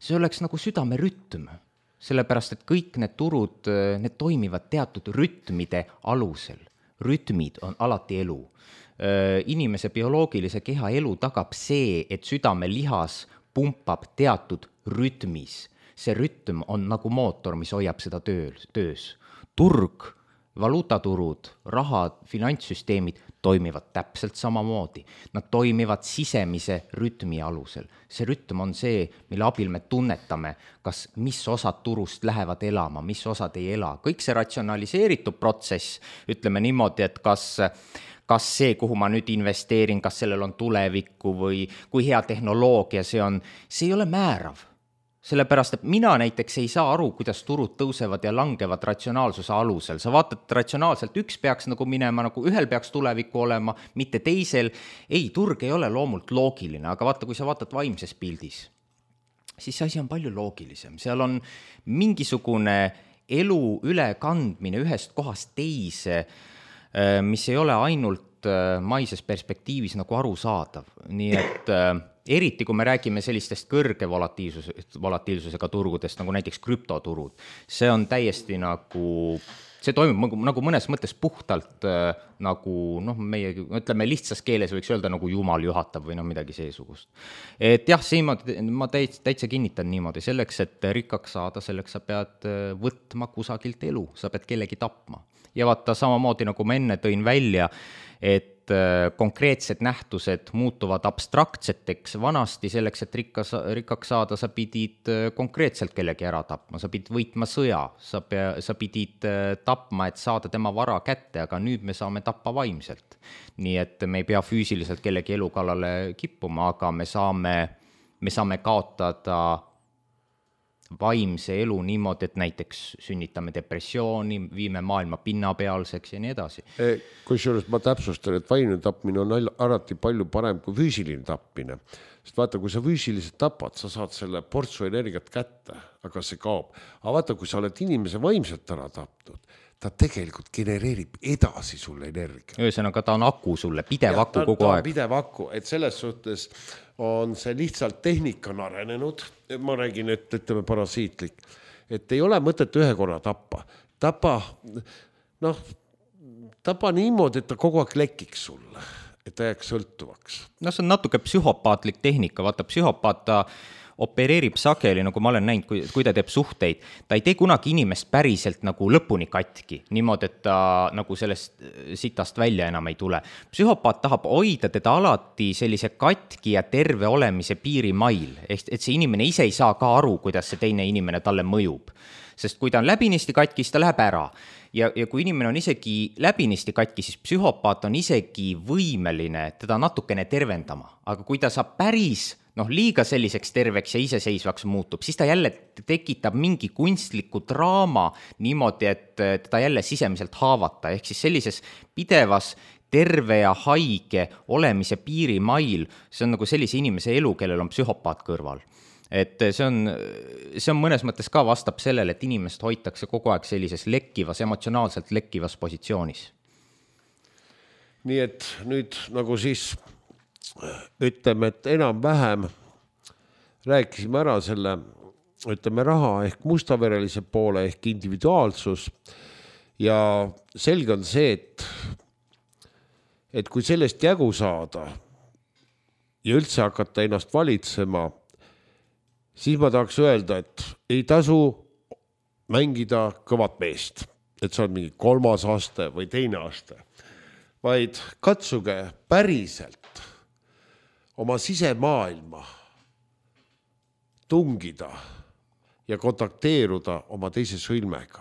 see oleks nagu südamerütm, sellepärast, et kõik need turud, need toimivad teatud rütmide alusel. Rütmid on alati elu. Inimese bioloogilise keha elu tagab see, et südamelihas pumpab teatud rütmis. See rütm on nagu mootor, mis hoiab seda töös. Turg, valuutaturud, rahad, finantssüsteemid toimivad täpselt samamoodi. Nad toimivad sisemise rütmi alusel. See rütm on see, mille abil me tunnetame, kas mis osad turust lähevad elama, mis osad ei ela. Kõik see ratsionaliseeritud protsess, ütleme niimoodi, et kas see, kuhu ma nüüd investeerin, kas sellel on tulevikku või kui hea tehnoloogia see on, see ei ole määrav. sellepärast, et mina näiteks ei saa aru, kuidas turud tõusevad ja langevad ratsionaalsuse alusel. Sa vaatad ratsionaalselt, üks peaks nagu minema, nagu ühel peaks tulevikku olema, mitte teisel. Ei, turg ei ole loomult loogiline, aga vaata, kui sa vaatad vaimses pildis, siis see asi on palju loogilisem. Seal on mingisugune elu ülekandmine ühest kohast teise, mis ei ole ainult maises perspektiivis nagu arusaadav. Nii et eriti, kui me räägime sellistest kõrge volatiilsusega turgudest, nagu näiteks krüptoturud, see on täiesti nagu, see toimub nagu mõnes mõttes puhtalt nagu, meie, ütleme lihtsas keeles võiks öelda nagu jumal juhatab või midagi seesugust. Et jah, ma täitsa kinnitan niimoodi, selleks, et rikkaks saada, selleks sa pead võtma kusagilt elu, sa pead kellegi tapma. Ja vaata samamoodi, nagu ma enne tõin välja, et konkreetsed nähtused muutuvad abstraktseteks. Vanasti selleks, et rikkaks saada, sa pidid konkreetselt kellegi ära tapma, sa pidid võitma sõja, sa pidid tapma, et saada tema vara kätte, aga nüüd me saame tappa vaimselt. Nii et me ei pea füüsiliselt kellegi elu kallale kippuma, aga me saame kaotada vaimse elu niimoodi, et näiteks sünnitame depressiooni, viime maailma pinnapealseks ja nii edasi. Kusjuures ma täpsustan, et vaimne tapmine on alati palju parem kui füüsiline tapmine. Sest vaata, kui sa füüsiliselt tapad, sa saad selle portsu energiat kätte, aga see kaob. Aga vaata, kui sa oled inimese vaimselt ära tapnud, ta tegelikult genereerib edasi sulle energia. Ühesõnaga, ta on aku sulle, pidev aku kogu aeg. Pidev aku, et selles suhtes on see lihtsalt tehnika on arenenud, ma räägin, et ütleme parasiitlik, et ei ole mõtet ühe korra tappa. Tapa niimoodi, et ta kogu aeg lekiks sulle, et ta jääks sõltuvaks. See on natuke psühhopaatlik tehnika, vaata psühhopaat ta opereerib sageli, nagu ma olen näinud, kui ta teeb suhteid, ta ei tee kunagi inimest päriselt nagu lõpuni katki, niimoodi, et ta nagu sellest sitast välja enam ei tule. Psühhopaat tahab hoida teda alati sellise katki ja terve olemise piirimail, et see inimene ise ei saa ka aru, kuidas see teine inimene talle mõjub. Sest kui ta on läbinisti katki, siis ta läheb ära. Ja kui inimene on isegi läbinisti katki, siis psühhopaat on isegi võimeline teda natukene tervendama. Aga kui ta saab päris liiga selliseks terveks ja iseseisvaks muutub, siis ta jälle tekitab mingi kunstliku draama niimoodi, et teda jälle sisemiselt haavata. Ehk siis sellises pidevas terve ja haige olemise piirimail, see on nagu sellise inimese elu, kellel on psühhopaat kõrval. Et see on mõnes mõttes ka vastab sellele, et inimest hoitakse kogu aeg sellises lekkivas, emotsionaalselt lekkivas positsioonis. Nii et nüüd nagu siis ütleme, et enam-vähem rääkisime ära selle, ütleme, raha ehk mustaverelise poole ehk individuaalsus ja selge on see, et kui sellest jägu saada ja üldse hakata ennast valitsema, siis ma tahaks öelda, et ei tasu mängida kõvat meest, et see on mingi 3. aste või 2. aste, vaid katsuge päriselt oma sisemaailma tungida ja kontakteeruda oma teise sõlmega.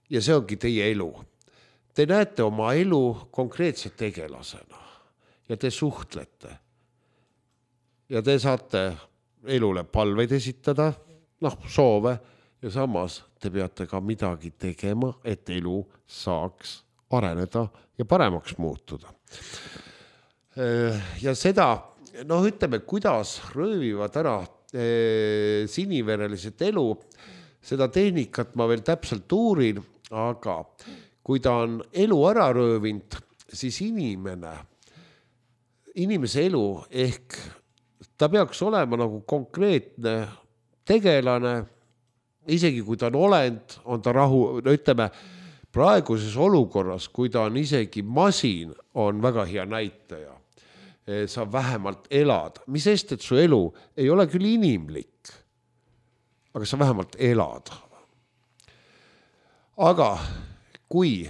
Ja see ongi teie elu. Te näete oma elu konkreetse tegelasena ja te suhtlete. Ja te saate elule palveid esitada, soove, ja samas te peate ka midagi tegema, et elu saaks areneda ja paremaks muutuda. Ja seda, ütleme, kuidas röövivad ära sinivereliselt elu, seda tehnikat ma veel täpselt uurin, aga kui ta on elu ära röövinud, siis inimese elu ehk ta peaks olema nagu konkreetne tegelane, isegi kui ta on olend, on ta ütleme, praeguses olukorras, kui ta on isegi masin, on väga hea näitaja. Saab vähemalt elada. Mis sest, et su elu ei ole küll inimlik, aga sa vähemalt elad. Aga kui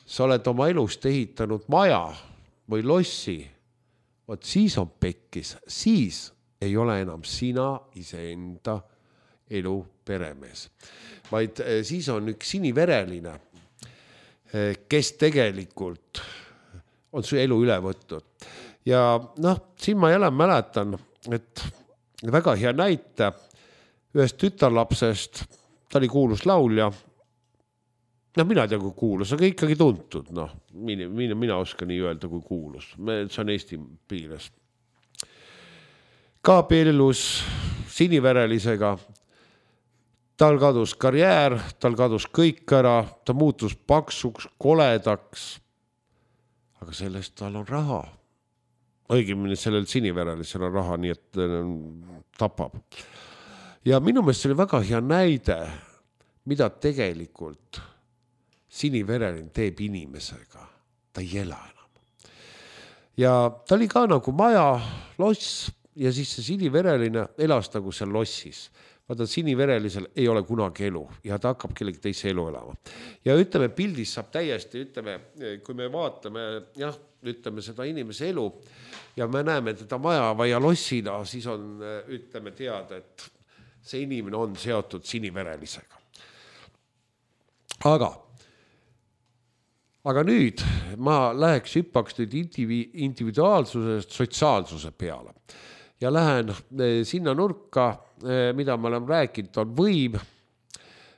sa oled oma elust ehitanud maja või lossi, siis on pekkis, siis ei ole enam sina iseenda elu peremees. Vaid siis on üks sinivereline, kes tegelikult on su elu üle võtnud. Ja siin ma jälle mäletan, et väga hea näite ühest tütarlapsest, ta oli kuulus laulja. No mina ei tea, kui kuulus, aga ikkagi tuntud. Noh, mina oskan nii öelda, kui kuulus. See on Eesti piires. Ka abiellus siniverelisega. Tal kadus karjäär, tal kadus kõik ära, ta muutus paksuks, koledaks. Aga sellest tal on raha. Õigemini sellel siniverelisel on raha, nii et tapab. Ja minu meelest see oli väga hea näide, mida tegelikult sinivereline teeb inimesega. Ta ei ela enam. Ja ta oli ka nagu maja, loss, ja siis see sinivereline elas nagu seal lossis. Vaata, siniverelisel ei ole kunagi elu ja ta hakkab kellegi teise elu elama. Ja ütleme, pildis saab täiesti, ütleme, kui me vaatame, ütleme seda inimese elu ja me näeme teda maja või lossina, siis on, ütleme, teada, et see inimene on seotud siniverelisega. Aga nüüd ma läheks hüppaks nüüd individuaalsusest sotsiaalsuse peale ja lähen sinna nurka, mida ma olen rääkinud, on võim.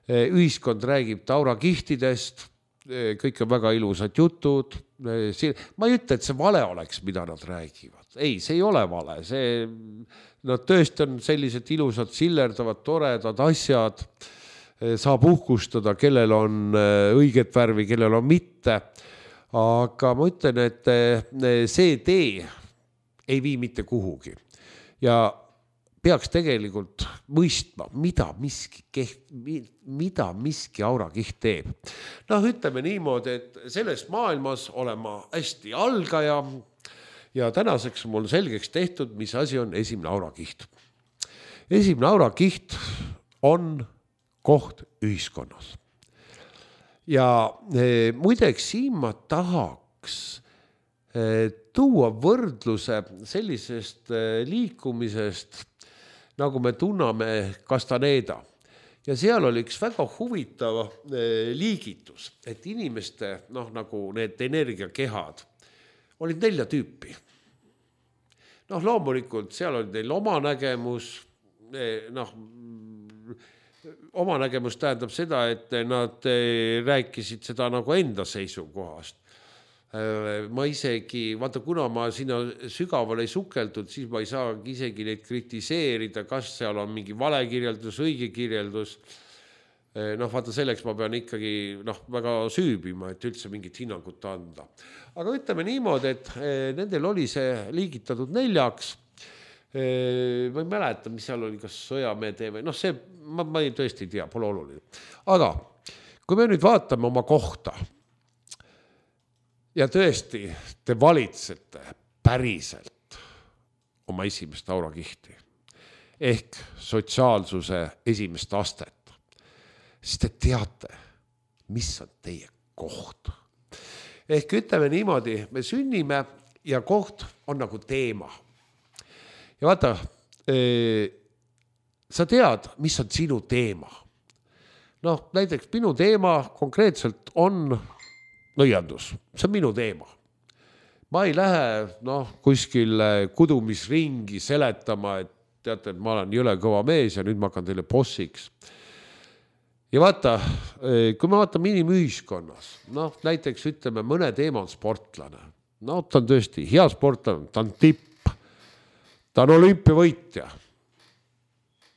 Ühiskond räägib taurakihtidest, kõik on väga ilusad jutud. Ma ei ütle, et see vale oleks, mida nad räägivad. Ei, see ei ole vale. Nad tõesti on sellised ilusad, sillerdavad, toredad asjad. Saab uhkustada, kellel on õiget värvi, kellel on mitte. Aga ma ütlen, et see tee ei vii mitte kuhugi. Ja peaks tegelikult mõistma, mida miski aurakiht teeb. Ütleme niimoodi, et selles maailmas olen ma hästi algaja ja tänaseks mul selgeks tehtud, mis asi on esimene aurakiht. Esimene aurakiht on koht ühiskonnas. Ja muideks siin ma tahaks tuua võrdluse sellisest liikumisest, nagu me tunname Castaneda. Ja seal oli üks väga huvitav liigitus, et inimeste, nagu need energiakehad, olid 4 tüüpi. Loomulikult seal oli neil oma nägemus, oma nägemus tähendab seda, et nad rääkisid seda nagu enda seisukohast. Ma isegi, vaata, kuna ma sinna sügavale ei sukeldud, siis ma ei saa isegi neid kritiseerida, kas seal on mingi vale kirjeldus, õige kirjeldus. Vaata, selleks ma pean ikkagi väga süübima, et üldse mingit hinnangut anda. Aga ütleme niimoodi, et nendel oli see liigitatud 4. Ma ei mäleta, mis seal oli, kas sõjamehe teeme. See, ma ei tõesti tea, pole oluline. Aga kui me nüüd vaatame oma kohta, ja tõesti, te valitsete päriselt oma esimest aurakihti ehk sotsiaalsuse esimest astet, siis te teate, mis on teie koht. Ehk ütleme niimoodi, me sünnime ja koht on nagu teema. Ja vaata, sa tead, mis on sinu teema. Näiteks minu teema konkreetselt on nõiandus. See on minu teema. Ma ei lähe kuskil kudumisringi seletama, et teate, et ma olen jõle kõva mees ja nüüd ma hakkan teile bossiks. Ja vaata, kui me vaatame inimühiskonnas, näiteks ütleme, mõne teema on sportlane. Ta on tõesti hea sportlane, ta on tipp, ta on olümpiavõitja.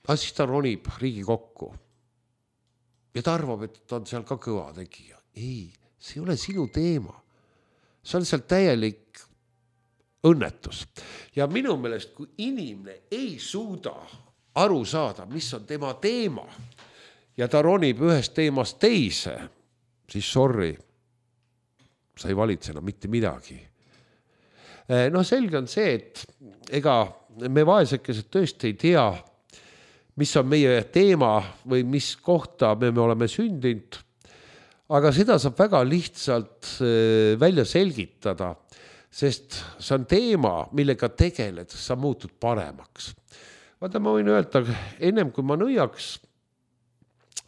Aga siis ta ronib Riigikokku. Ja ta arvab, et ta on seal ka kõva tegija. Ei. See ei ole sinu teema. See on seal täielik õnnetus. Ja minu meelest, kui inimene ei suuda aru saada, mis on tema teema, ja ta ronib ühest teemast teise, siis sorry, sa ei valitse enam mitte midagi. Selge on see, et ega me vaesekesed tõesti ei tea, mis on meie teema või mis kohta me oleme sündinud. Aga seda saab väga lihtsalt välja selgitada, sest see on teema, millega tegeled, sa muutud paremaks. Vaata, ma võin öelda, ennem kui ma nõiaks,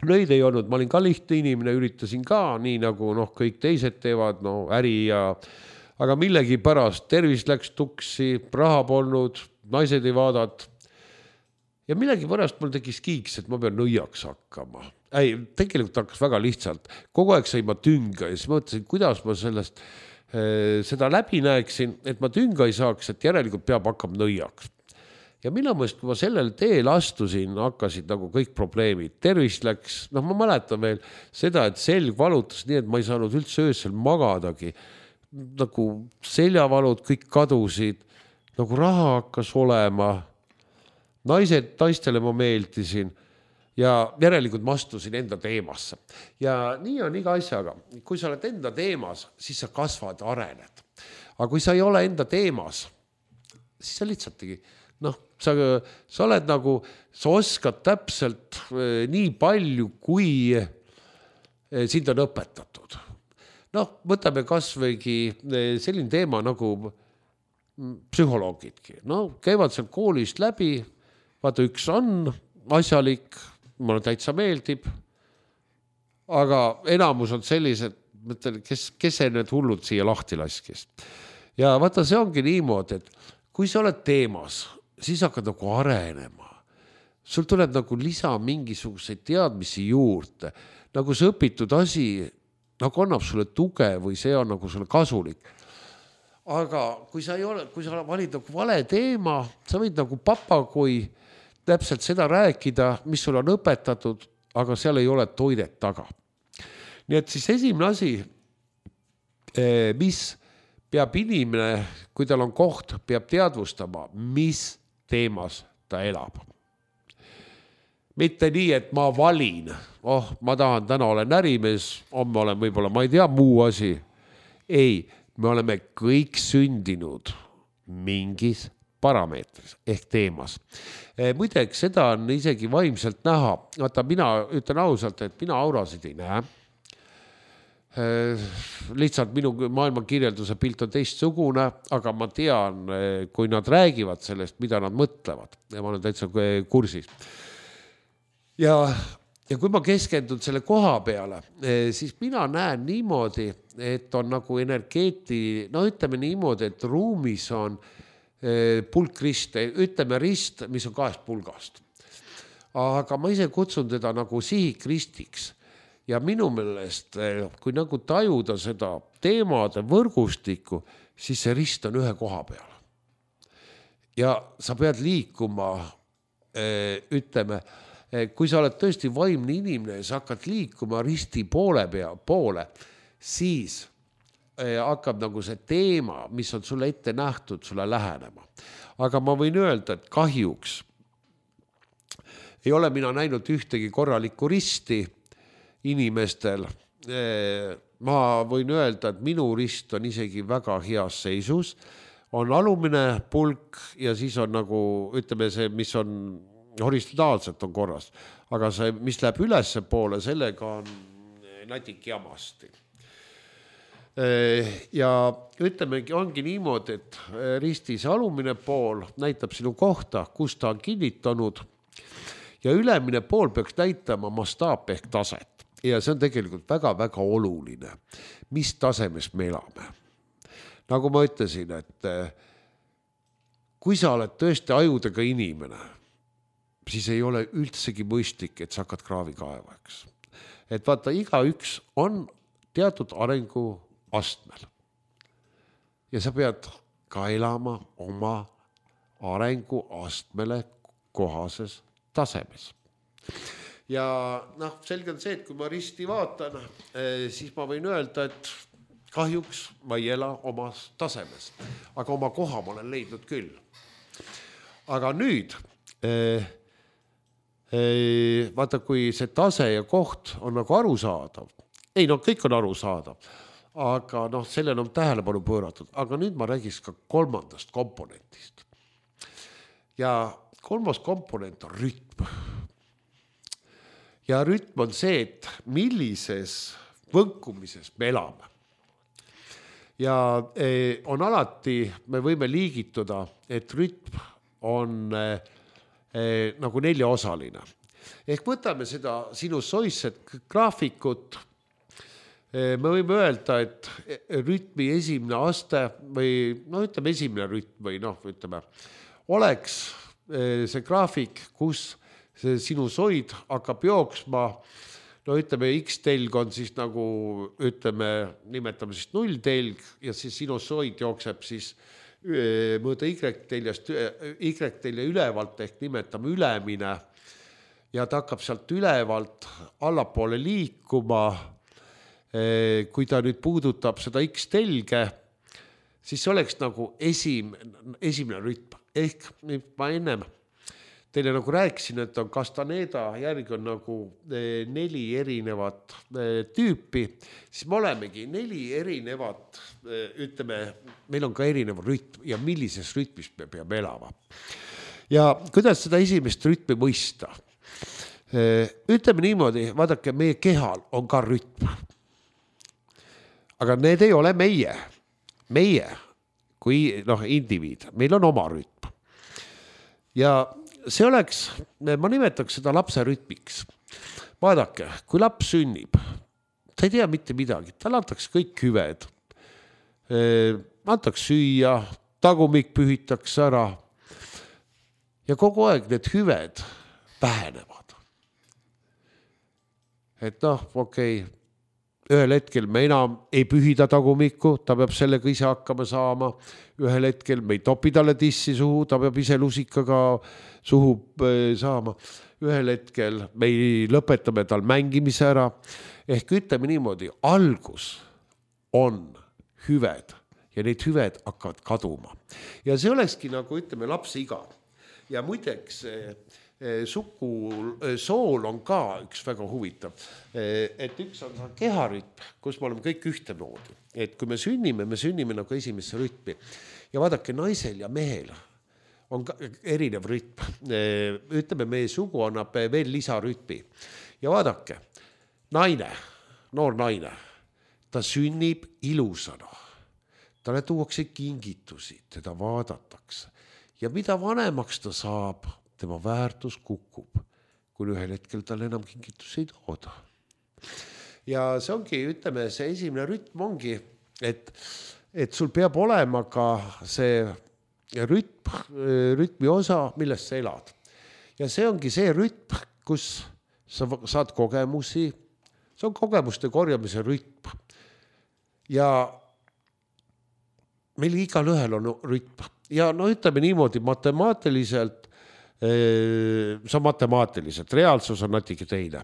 nõid ei olnud, ma olin ka lihtne inimene, üritasin ka, nii nagu kõik teised teevad, äri ja... Aga millegi pärast tervis läks tuksi, raha polnud, naised ei vaadat. ja millegi pärast mul tekkis kiiks, et ma pean nõiaks hakkama. Ei, tegelikult hakkas väga lihtsalt. Kogu aeg sai ma tünga ja siis mõtlesin, kuidas ma sellest seda läbi näeksin, et ma tünga ei saaks, et järelikult peab hakkama nõiaks. Ja minu mõelest, kui ma sellel teel astusin, hakkasid nagu kõik probleemid. Tervis läks, ma mäletan veel seda, et selg valutas nii, et ma ei saanud üldse öösel magadagi. Nagu seljavalud kõik kadusid, nagu raha hakkas olema. Naistele ma meeldisin ja järelikult ma astusin enda teemasse. Ja nii on iga asjaga. Kui sa oled enda teemas, siis sa kasvad, arened. Aga kui sa ei ole enda teemas, siis sa lihtsaltki, sa oled nagu, sa oskad täpselt nii palju, kui sind on õpetatud. Võtame kasvõigi selline teema nagu psühholoogidki. Käivad seal koolist läbi, vaata üks on asjalik, mulle täitsa meeldib, aga enamus on sellised, kes see need hullud siia lahti laskis. Ja vaata, see ongi niimoodi, et kui sa oled teemas, siis hakkad nagu arenema. Sul tuleb nagu lisa mingisuguseid teadmisi juurde. Nagu see õpitud asi, nagu annab sulle tuge või see on nagu sulle kasulik. Aga kui sa valid nagu vale teema, sa võid nagu papagoi täpselt seda rääkida, mis sul on õpetatud, aga seal ei ole toidet taga. Nii et siis esimene asi, mis peab inimene, kui tal on koht, peab teadvustama, mis teemas ta elab. Mitte nii, et ma valin, ma tahan, täna olen ärimees, homme olen võib-olla, ma ei tea, muu asi. Ei, me oleme kõik sündinud mingis parameetris ehk teemas. Muideks, seda on isegi vaimselt näha. Vaata, mina ütlen ausalt, et mina aurasid ei näe. Lihtsalt minu maailma kirjelduse pilt on teistsugune, aga ma tean, kui nad räägivad sellest, mida nad mõtlevad. Ja ma olen täitsa kursis. Ja kui ma keskendun selle koha peale, siis mina näen niimoodi, et on nagu energeeti, ütleme niimoodi, et ruumis on pulkrist, ütleme rist, mis on 2 pulgast. Aga ma ise kutsun teda nagu sihikristiks. Ja minu meelest, kui nagu tajuda seda teemade võrgustikku, siis see rist on ühe koha peal. Ja sa pead liikuma, ütleme, kui sa oled tõesti vaimne inimene ja sa hakkad liikuma risti poole, siis hakkab nagu see teema, mis on sulle ette nähtud, sulle lähenema. Aga ma võin öelda, et kahjuks ei ole mina näinud ühtegi korralikku risti inimestel. Ma võin öelda, et minu rist on isegi väga heas seisus. On alumine pulk ja siis on nagu, ütleme see, mis on horistontaalselt on korras. Aga see, mis läheb ülesse poole, sellega on natik jamasti. Ja ütlemegi, ongi niimoodi, et ristis alumine pool näitab sinu kohta, kus ta on kinnitanud ja ülemine pool peaks näitama mastaap ehk taset. Ja see on tegelikult väga-väga oluline, mis tasemes me elame. Nagu ma ütlesin, et kui sa oled tõesti ajudega inimene, siis ei ole üldsegi mõistlik, et sa hakkad kraavikaevaks. Et vaata, igaüks on teatud arengu astmel. Ja sa pead ka elama oma arengu astmele kohases tasemes. Ja selge on see, et kui ma risti vaatan, siis ma võin öelda, et kahjuks ma ei ela omas tasemes. Aga oma koha ma olen leidnud küll. Aga nüüd, vaata, kui see tase ja koht on nagu arusaadav. Ei, kõik on arusaadav. Aga sellele on tähelepanu pööratud. Aga nüüd ma räägiks ka 3. komponentist. Ja 3. komponent on rütm. Ja rütm on see, et millises võnkumises me elame. Ja on alati, me võime liigituda, et rütm on nagu 4-osaline. Ehk võtame seda sinu soisset graafikut. Me võime öelda, et rütmi esimene aste või ütleme esimene rütm või ütleme, oleks see graafik, kus see sinusoid hakkab jooksma, no ütleme, X-telg on siis nagu, ütleme, nimetame siis nulltelg ja siis sinusoid jookseb siis mõõda Y-telje ülevalt ehk nimetame ülemine ja ta hakkab sealt ülevalt allapoole liikuma. Kui ta nüüd puudutab seda X-telge, siis see oleks nagu esimene rütm. Ehk ma ennem teile nagu rääkisin, et on Castaneda järgi on nagu 4 erinevat tüüpi, siis me olemegi 4 erinevat, ütleme, meil on ka erinev rütm ja millises rütmis me peame elama. Ja kuidas seda esimest rütmi mõista? Ütleme niimoodi, vaadake, meie kehal on ka rütm. Aga need ei ole meie kui indiviid, meil on oma rütm. Ja see oleks, ma nimetaks seda lapse rütmiks. Vaadake, kui laps sünnib, ta ei tea mitte midagi, tal antaks kõik hüved. Antaks süüa, tagumik pühitakse ära ja kogu aeg need hüved vähenevad. Et okei, ühel hetkel me enam ei pühida tagumikku, ta peab sellega ise hakkama saama. Ühel hetkel me ei topi talle tissi suhu, ta peab ise lusikaga suhu saama. Ühel hetkel me lõpetame tal mängimise ära. Ehk ütleme niimoodi, algus on hüved ja need hüved hakkavad kaduma. Ja see olekski nagu ütleme lapse iga. Ja muideks sool on ka üks väga huvitav, et üks on keharütm, kus me oleme kõik ühtemoodi, et kui me sünnime nagu esimesse rütmi ja vaadake naisel ja mehel on ka erinev rütm, ütleme meie sugu annab veel lisarütmi ja vaadake, noor naine, ta sünnib ilusana, talle tuuakse kingitusi, teda vaadatakse ja mida vanemaks ta saab, tema väärtus kukub, kui ühel hetkel tal enam kingitusi ei tooda. Ja see ongi, ütleme, see esimene rütm ongi, et sul peab olema ka see rütmi osa, millest sa elad. Ja see ongi see rütm, kus sa saad kogemusi, see on kogemuste korjamise rütm. Ja meil igal ühel on rütm. Ja ütleme niimoodi matemaatiliselt, see on matemaatiliselt, reaalsus on natuke teine.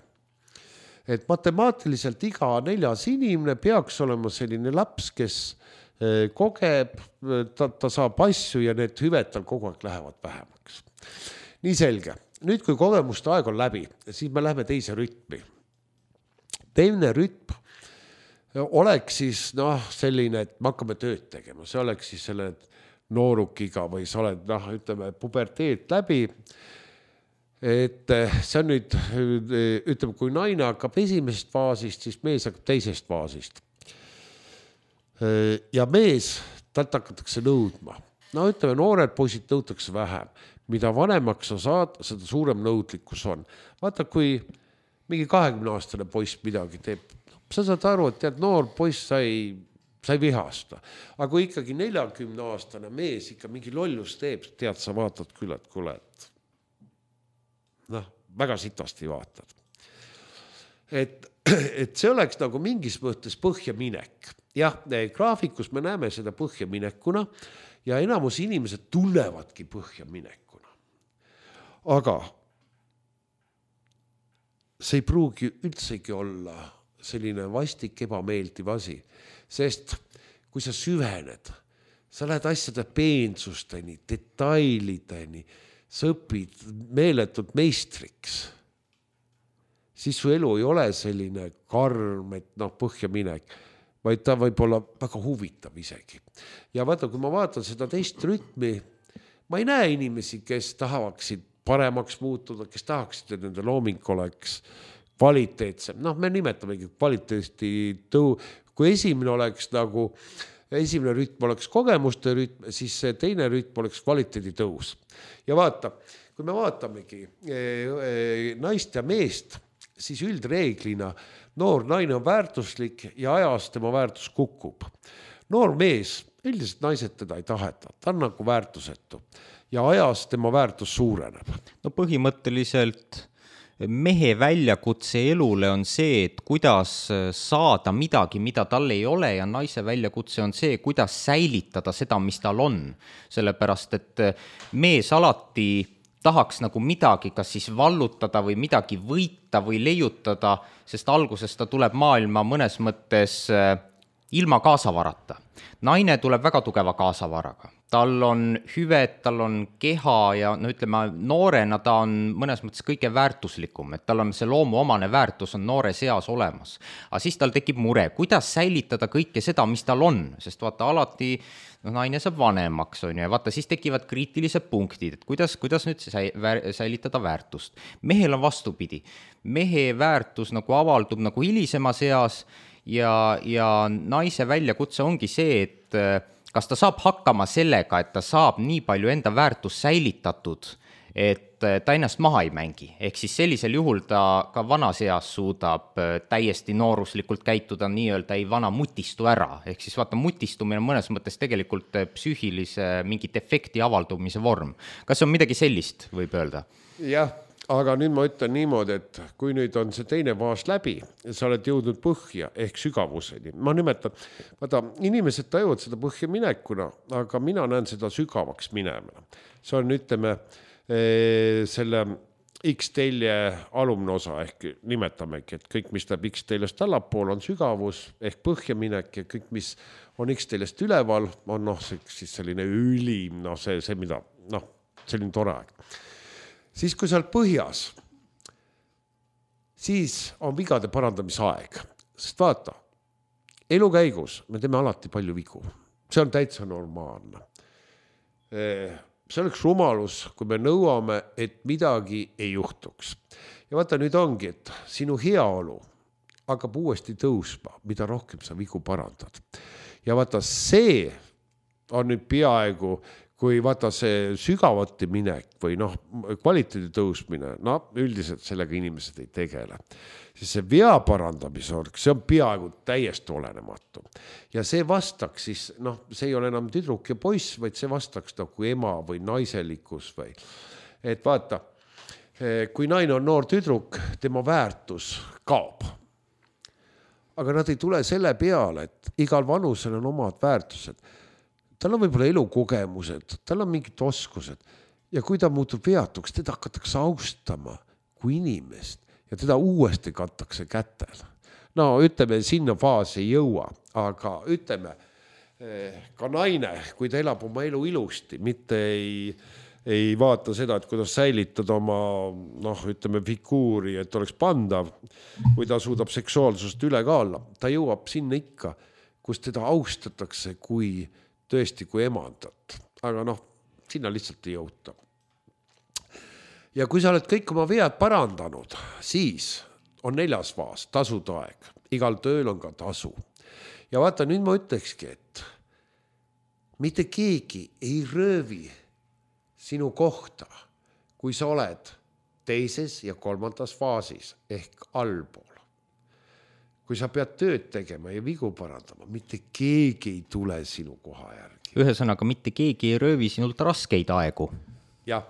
Et matemaatiliselt iga 4. inimene peaks olema selline laps, kes kogeb, ta saab asju ja need hüved tal kogu aeg lähevad vähemaks. Nii selge. Nüüd, kui kogemuste aeg on läbi, siis me läheme teise rütmi. Teine rütm oleks siis selline, et me hakkame tööd tegema. See oleks siis selle noorukiga või sa oled, ütleme, puberteet läbi. Et see on nüüd, ütleme, kui naine hakkab esimesest faasist, siis mees hakkab teisest faasist. Ja mees, talt hakatakse nõudma. Ütleme, noored poisid nõutakse vähem. Mida vanemaks sa saad, seda suurem nõudlikkus on. Vaata, kui mingi 20-aastane poiss midagi teeb, sa saad aru, et tead, noor poiss sa ei vihasta. Aga kui ikkagi 40-aastane mees ikka mingi lollus teeb, tead, sa vaatad küll, et kuule, et väga sitasti vaatad. Et see oleks nagu mingis mõttes põhjaminek. Jah, graafikus me näeme seda põhjaminekuna ja enamus inimesed tunnevadki põhjaminekuna. Aga see ei pruugi üldsegi olla selline vastik ebameeldiv asi, sest kui sa süvened, sa lähed asjade peensusteni, detailideni, sa õpid meeletult meistriks, siis su elu ei ole selline karm, et põhjaminek, vaid ta võib olla väga huvitav isegi. Ja vaata, kui ma vaatan seda teist rütmi, ma ei näe inimesi, kes tahaksid paremaks muutuda, kes tahaksid, et nende looming oleks kvaliteetsem. Me nimetamegi kvaliteesti kui esimene oleks nagu, esimene rütm oleks kogemuste rütm, siis see teine rütm oleks kvaliteedi tõus. Ja vaata, kui me vaatamegi naist ja meest, siis üldreeglina noor naine on väärtuslik ja ajas tema väärtus kukub. Noor mees, üldiselt naised teda ei taheta, ta on nagu väärtusetu. ja ajas tema väärtus suureneb. No põhimõtteliselt mehe väljakutse elule on see, et kuidas saada midagi, mida tal ei ole, ja naise väljakutse on see, kuidas säilitada seda, mis tal on. Sellepärast, et mees alati tahaks nagu midagi, kas siis vallutada või midagi võita või leiutada, sest alguses ta tuleb maailma mõnes mõttes ilma kaasavarata. Naine tuleb väga tugeva kaasavaraga. Tal on hüved, tal on keha ja no ütleme, noorena ta on mõnes mõttes kõige väärtuslikum, et tal on see loomuomane väärtus on noores eas olemas. Aga siis tal tekib mure, kuidas säilitada kõike seda, mis tal on, sest vaata alati naine saab vanemaks, on ju, ja vaata siis tekivad kriitilised punktid, et kuidas nüüd säilitada väärtust. Mehel on vastupidi. Mehe väärtus nagu avaldub nagu hilisemas eas ja naise väljakutse ongi see, et kas ta saab hakkama sellega, et ta saab nii palju enda väärtust säilitatud, et ta ennast maha ei mängi. Ehk siis sellisel juhul ta ka vanas eas suudab täiesti nooruslikult käituda, nii-öelda ei vana mutistu ära. Ehk siis vaata, mutistumine on mõnes mõttes tegelikult psüühilise mingi defekti avaldumise vorm. Kas on midagi sellist, võib öelda? Jah, aga nüüd ma ütlen niimoodi, et kui nüüd on see teine faas läbi, sa oled jõudnud põhja ehk sügavuseni. Ma nimetan, vaata, inimesed tajuvad seda põhja minekuna, aga mina näen seda sügavaks minemine. See on, ütleme, selle X-telje alumne osa ehk nimetamegi, et kõik, mis läheb X-teljest allapool, on sügavus ehk põhja minek ja kõik, mis on X-teljest üleval, on siis selline ülim, see mida, selline tore aeg. Siis kui sa oled põhjas, siis on vigade parandamise aeg. Sest vaata, elu käigus me teeme alati palju vigu. See on täitsa normaalne. See oleks rumalus, kui me nõuame, et midagi ei juhtuks. Ja vaata, nüüd ongi, et sinu heaolu hakkab uuesti tõusma, mida rohkem sa vigu parandad. Ja vaata, see on nüüd peaaegu kui vaata see sügavati minek või kvaliteedi tõusmine, üldiselt sellega inimesed ei tegele. Siis see vea parandamise, see on peaaegu täiesti olenematu. Ja see vastaks siis, see ei ole enam tüdruk ja poiss, vaid see vastaks nagu ema või naiselikkus või. Et vaata, kui naine on noor tüdruk, tema väärtus kaob. Aga nad ei tule selle peale, et igal vanusel on omad väärtused. Tal on võib-olla elukogemused, tal on mingid oskused ja kui ta muutub veatuks, teda hakatakse austama kui inimest ja teda uuesti kantakse kätel. Ütleme, sinna faasi ei jõua, aga ütleme, ka naine, kui ta elab oma elu ilusti, mitte ei vaata seda, et kuidas säilitada oma, ütleme, figuuri, et oleks pandav, kui ta suudab seksuaalsust üle ka olla. Ta jõuab sinna ikka, kus teda austatakse kui tõesti kui emandat, aga sinna lihtsalt ei jõuta. Ja kui sa oled kõik oma vead parandanud, siis on 4. faas, tasude aeg. Igal tööl on ka tasu. Ja vaata, nüüd ma ütlekski, et mitte keegi ei röövi sinu kohta, kui sa oled 2. ja 3. faasis ehk allpool. Kui sa pead tööd tegema ja vigu parandama, mitte keegi ei tule sinu koha järgi. Ühesõnaga, mitte keegi ei röövi sinult raskeid aegu. Jah,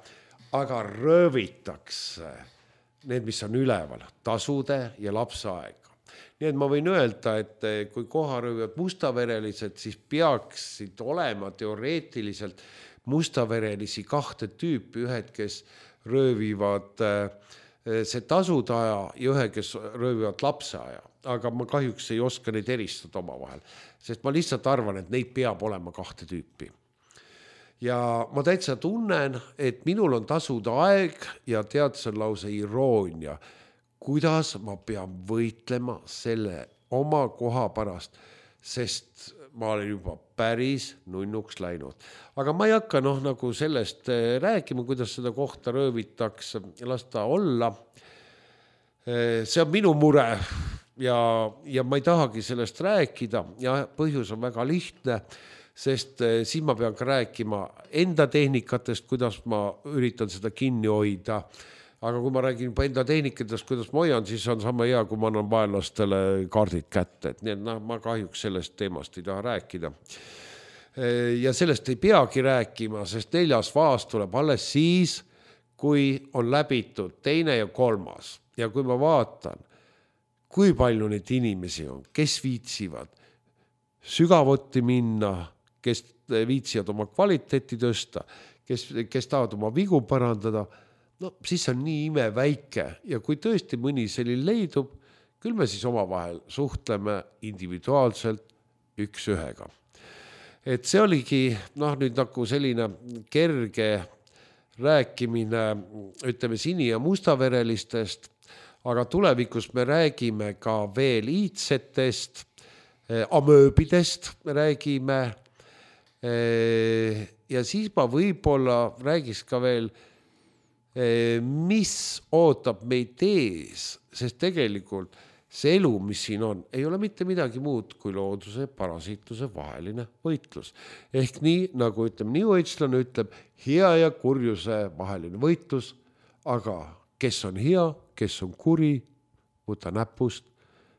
aga röövitakse need, mis on üleval, tasude ja lapse aega. Nii et ma võin öelda, et kui koha röövivad mustaverelised, siis peaksid olema teoreetiliselt mustaverelisi 2 tüüpi, ühed, kes röövivad see tasude aja ja ühe, kes röövivad lapse aja. Aga ma kahjuks ei oska neid eristada oma vahel, sest ma lihtsalt arvan, et neid peab olema 2 tüüpi. Ja ma täitsa tunnen, et minul on tasude aeg ja tead, see on lause iroonia, kuidas ma pean võitlema selle oma koha pärast, sest ma olen juba päris nunnuks läinud. Aga ma ei hakka nagu sellest rääkima, kuidas seda kohta röövitakse ja las ta olla. See on minu mure. Ja ma ei tahagi sellest rääkida ja põhjus on väga lihtne, sest siin ma pean ka rääkima enda tehnikatest, kuidas ma üritan seda kinni hoida. Aga kui ma räägin enda tehnikatest, kuidas ma hoian, siis on sama hea, kui ma annan vaenlastele kaardid kätte. Et nii, et ma kahjuks sellest teemast ei taha rääkida. ja sellest ei peagi rääkima, sest 4. faas tuleb alles siis, kui on läbitud 2. ja 3. Ja kui ma vaatan, kui palju neid inimesi on, kes viitsivad sügavuti minna, kes viitsivad oma kvaliteeti tõsta, kes tahavad oma vigu parandada, no siis on nii ime väike ja kui tõesti mõni selline leidub, küll me siis omavahel suhtleme individuaalselt üks ühega. Et see oligi nüüd nagu selline kerge rääkimine, ütleme sini- ja mustaverelistest, aga tulevikus me räägime ka veel iidsetest, amööbidest räägime ja siis ma võib-olla räägiks ka veel, mis ootab meid ees, sest tegelikult see elu, mis siin on, ei ole mitte midagi muud kui looduse parasiitluse vaheline võitlus. Ehk nii, nagu New Agelane ütleb, hea ja kurjuse vaheline võitlus, aga kes on hea, kes on kuri, võta näpust,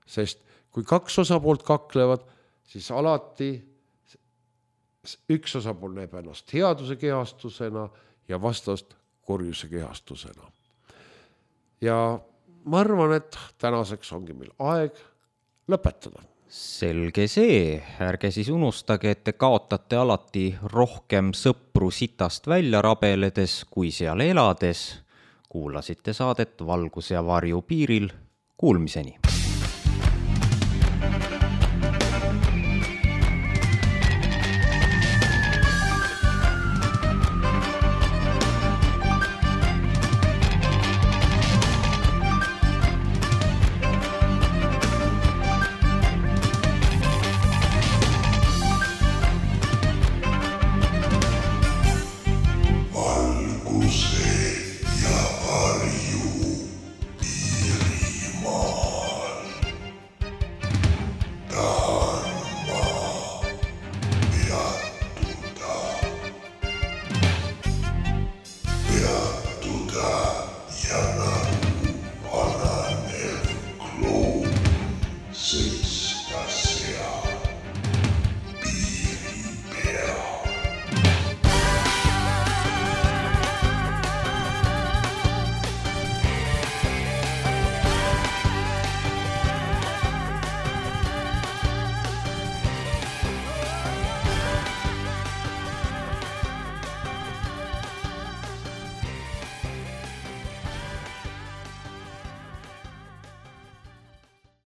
sest kui 2 osapoolt kaklevad, siis alati üks osapool näeb ennast headuse kehastusena ja vastast kurjuse kehastusena. Ja ma arvan, et tänaseks ongi meil aeg lõpetada. Selge see, ärge siis unustage, et te kaotate alati rohkem sõpru sitast välja rabeledes kui seal elades. Kuulasite saadet Valgus ja varju piiril. Kuulmiseni!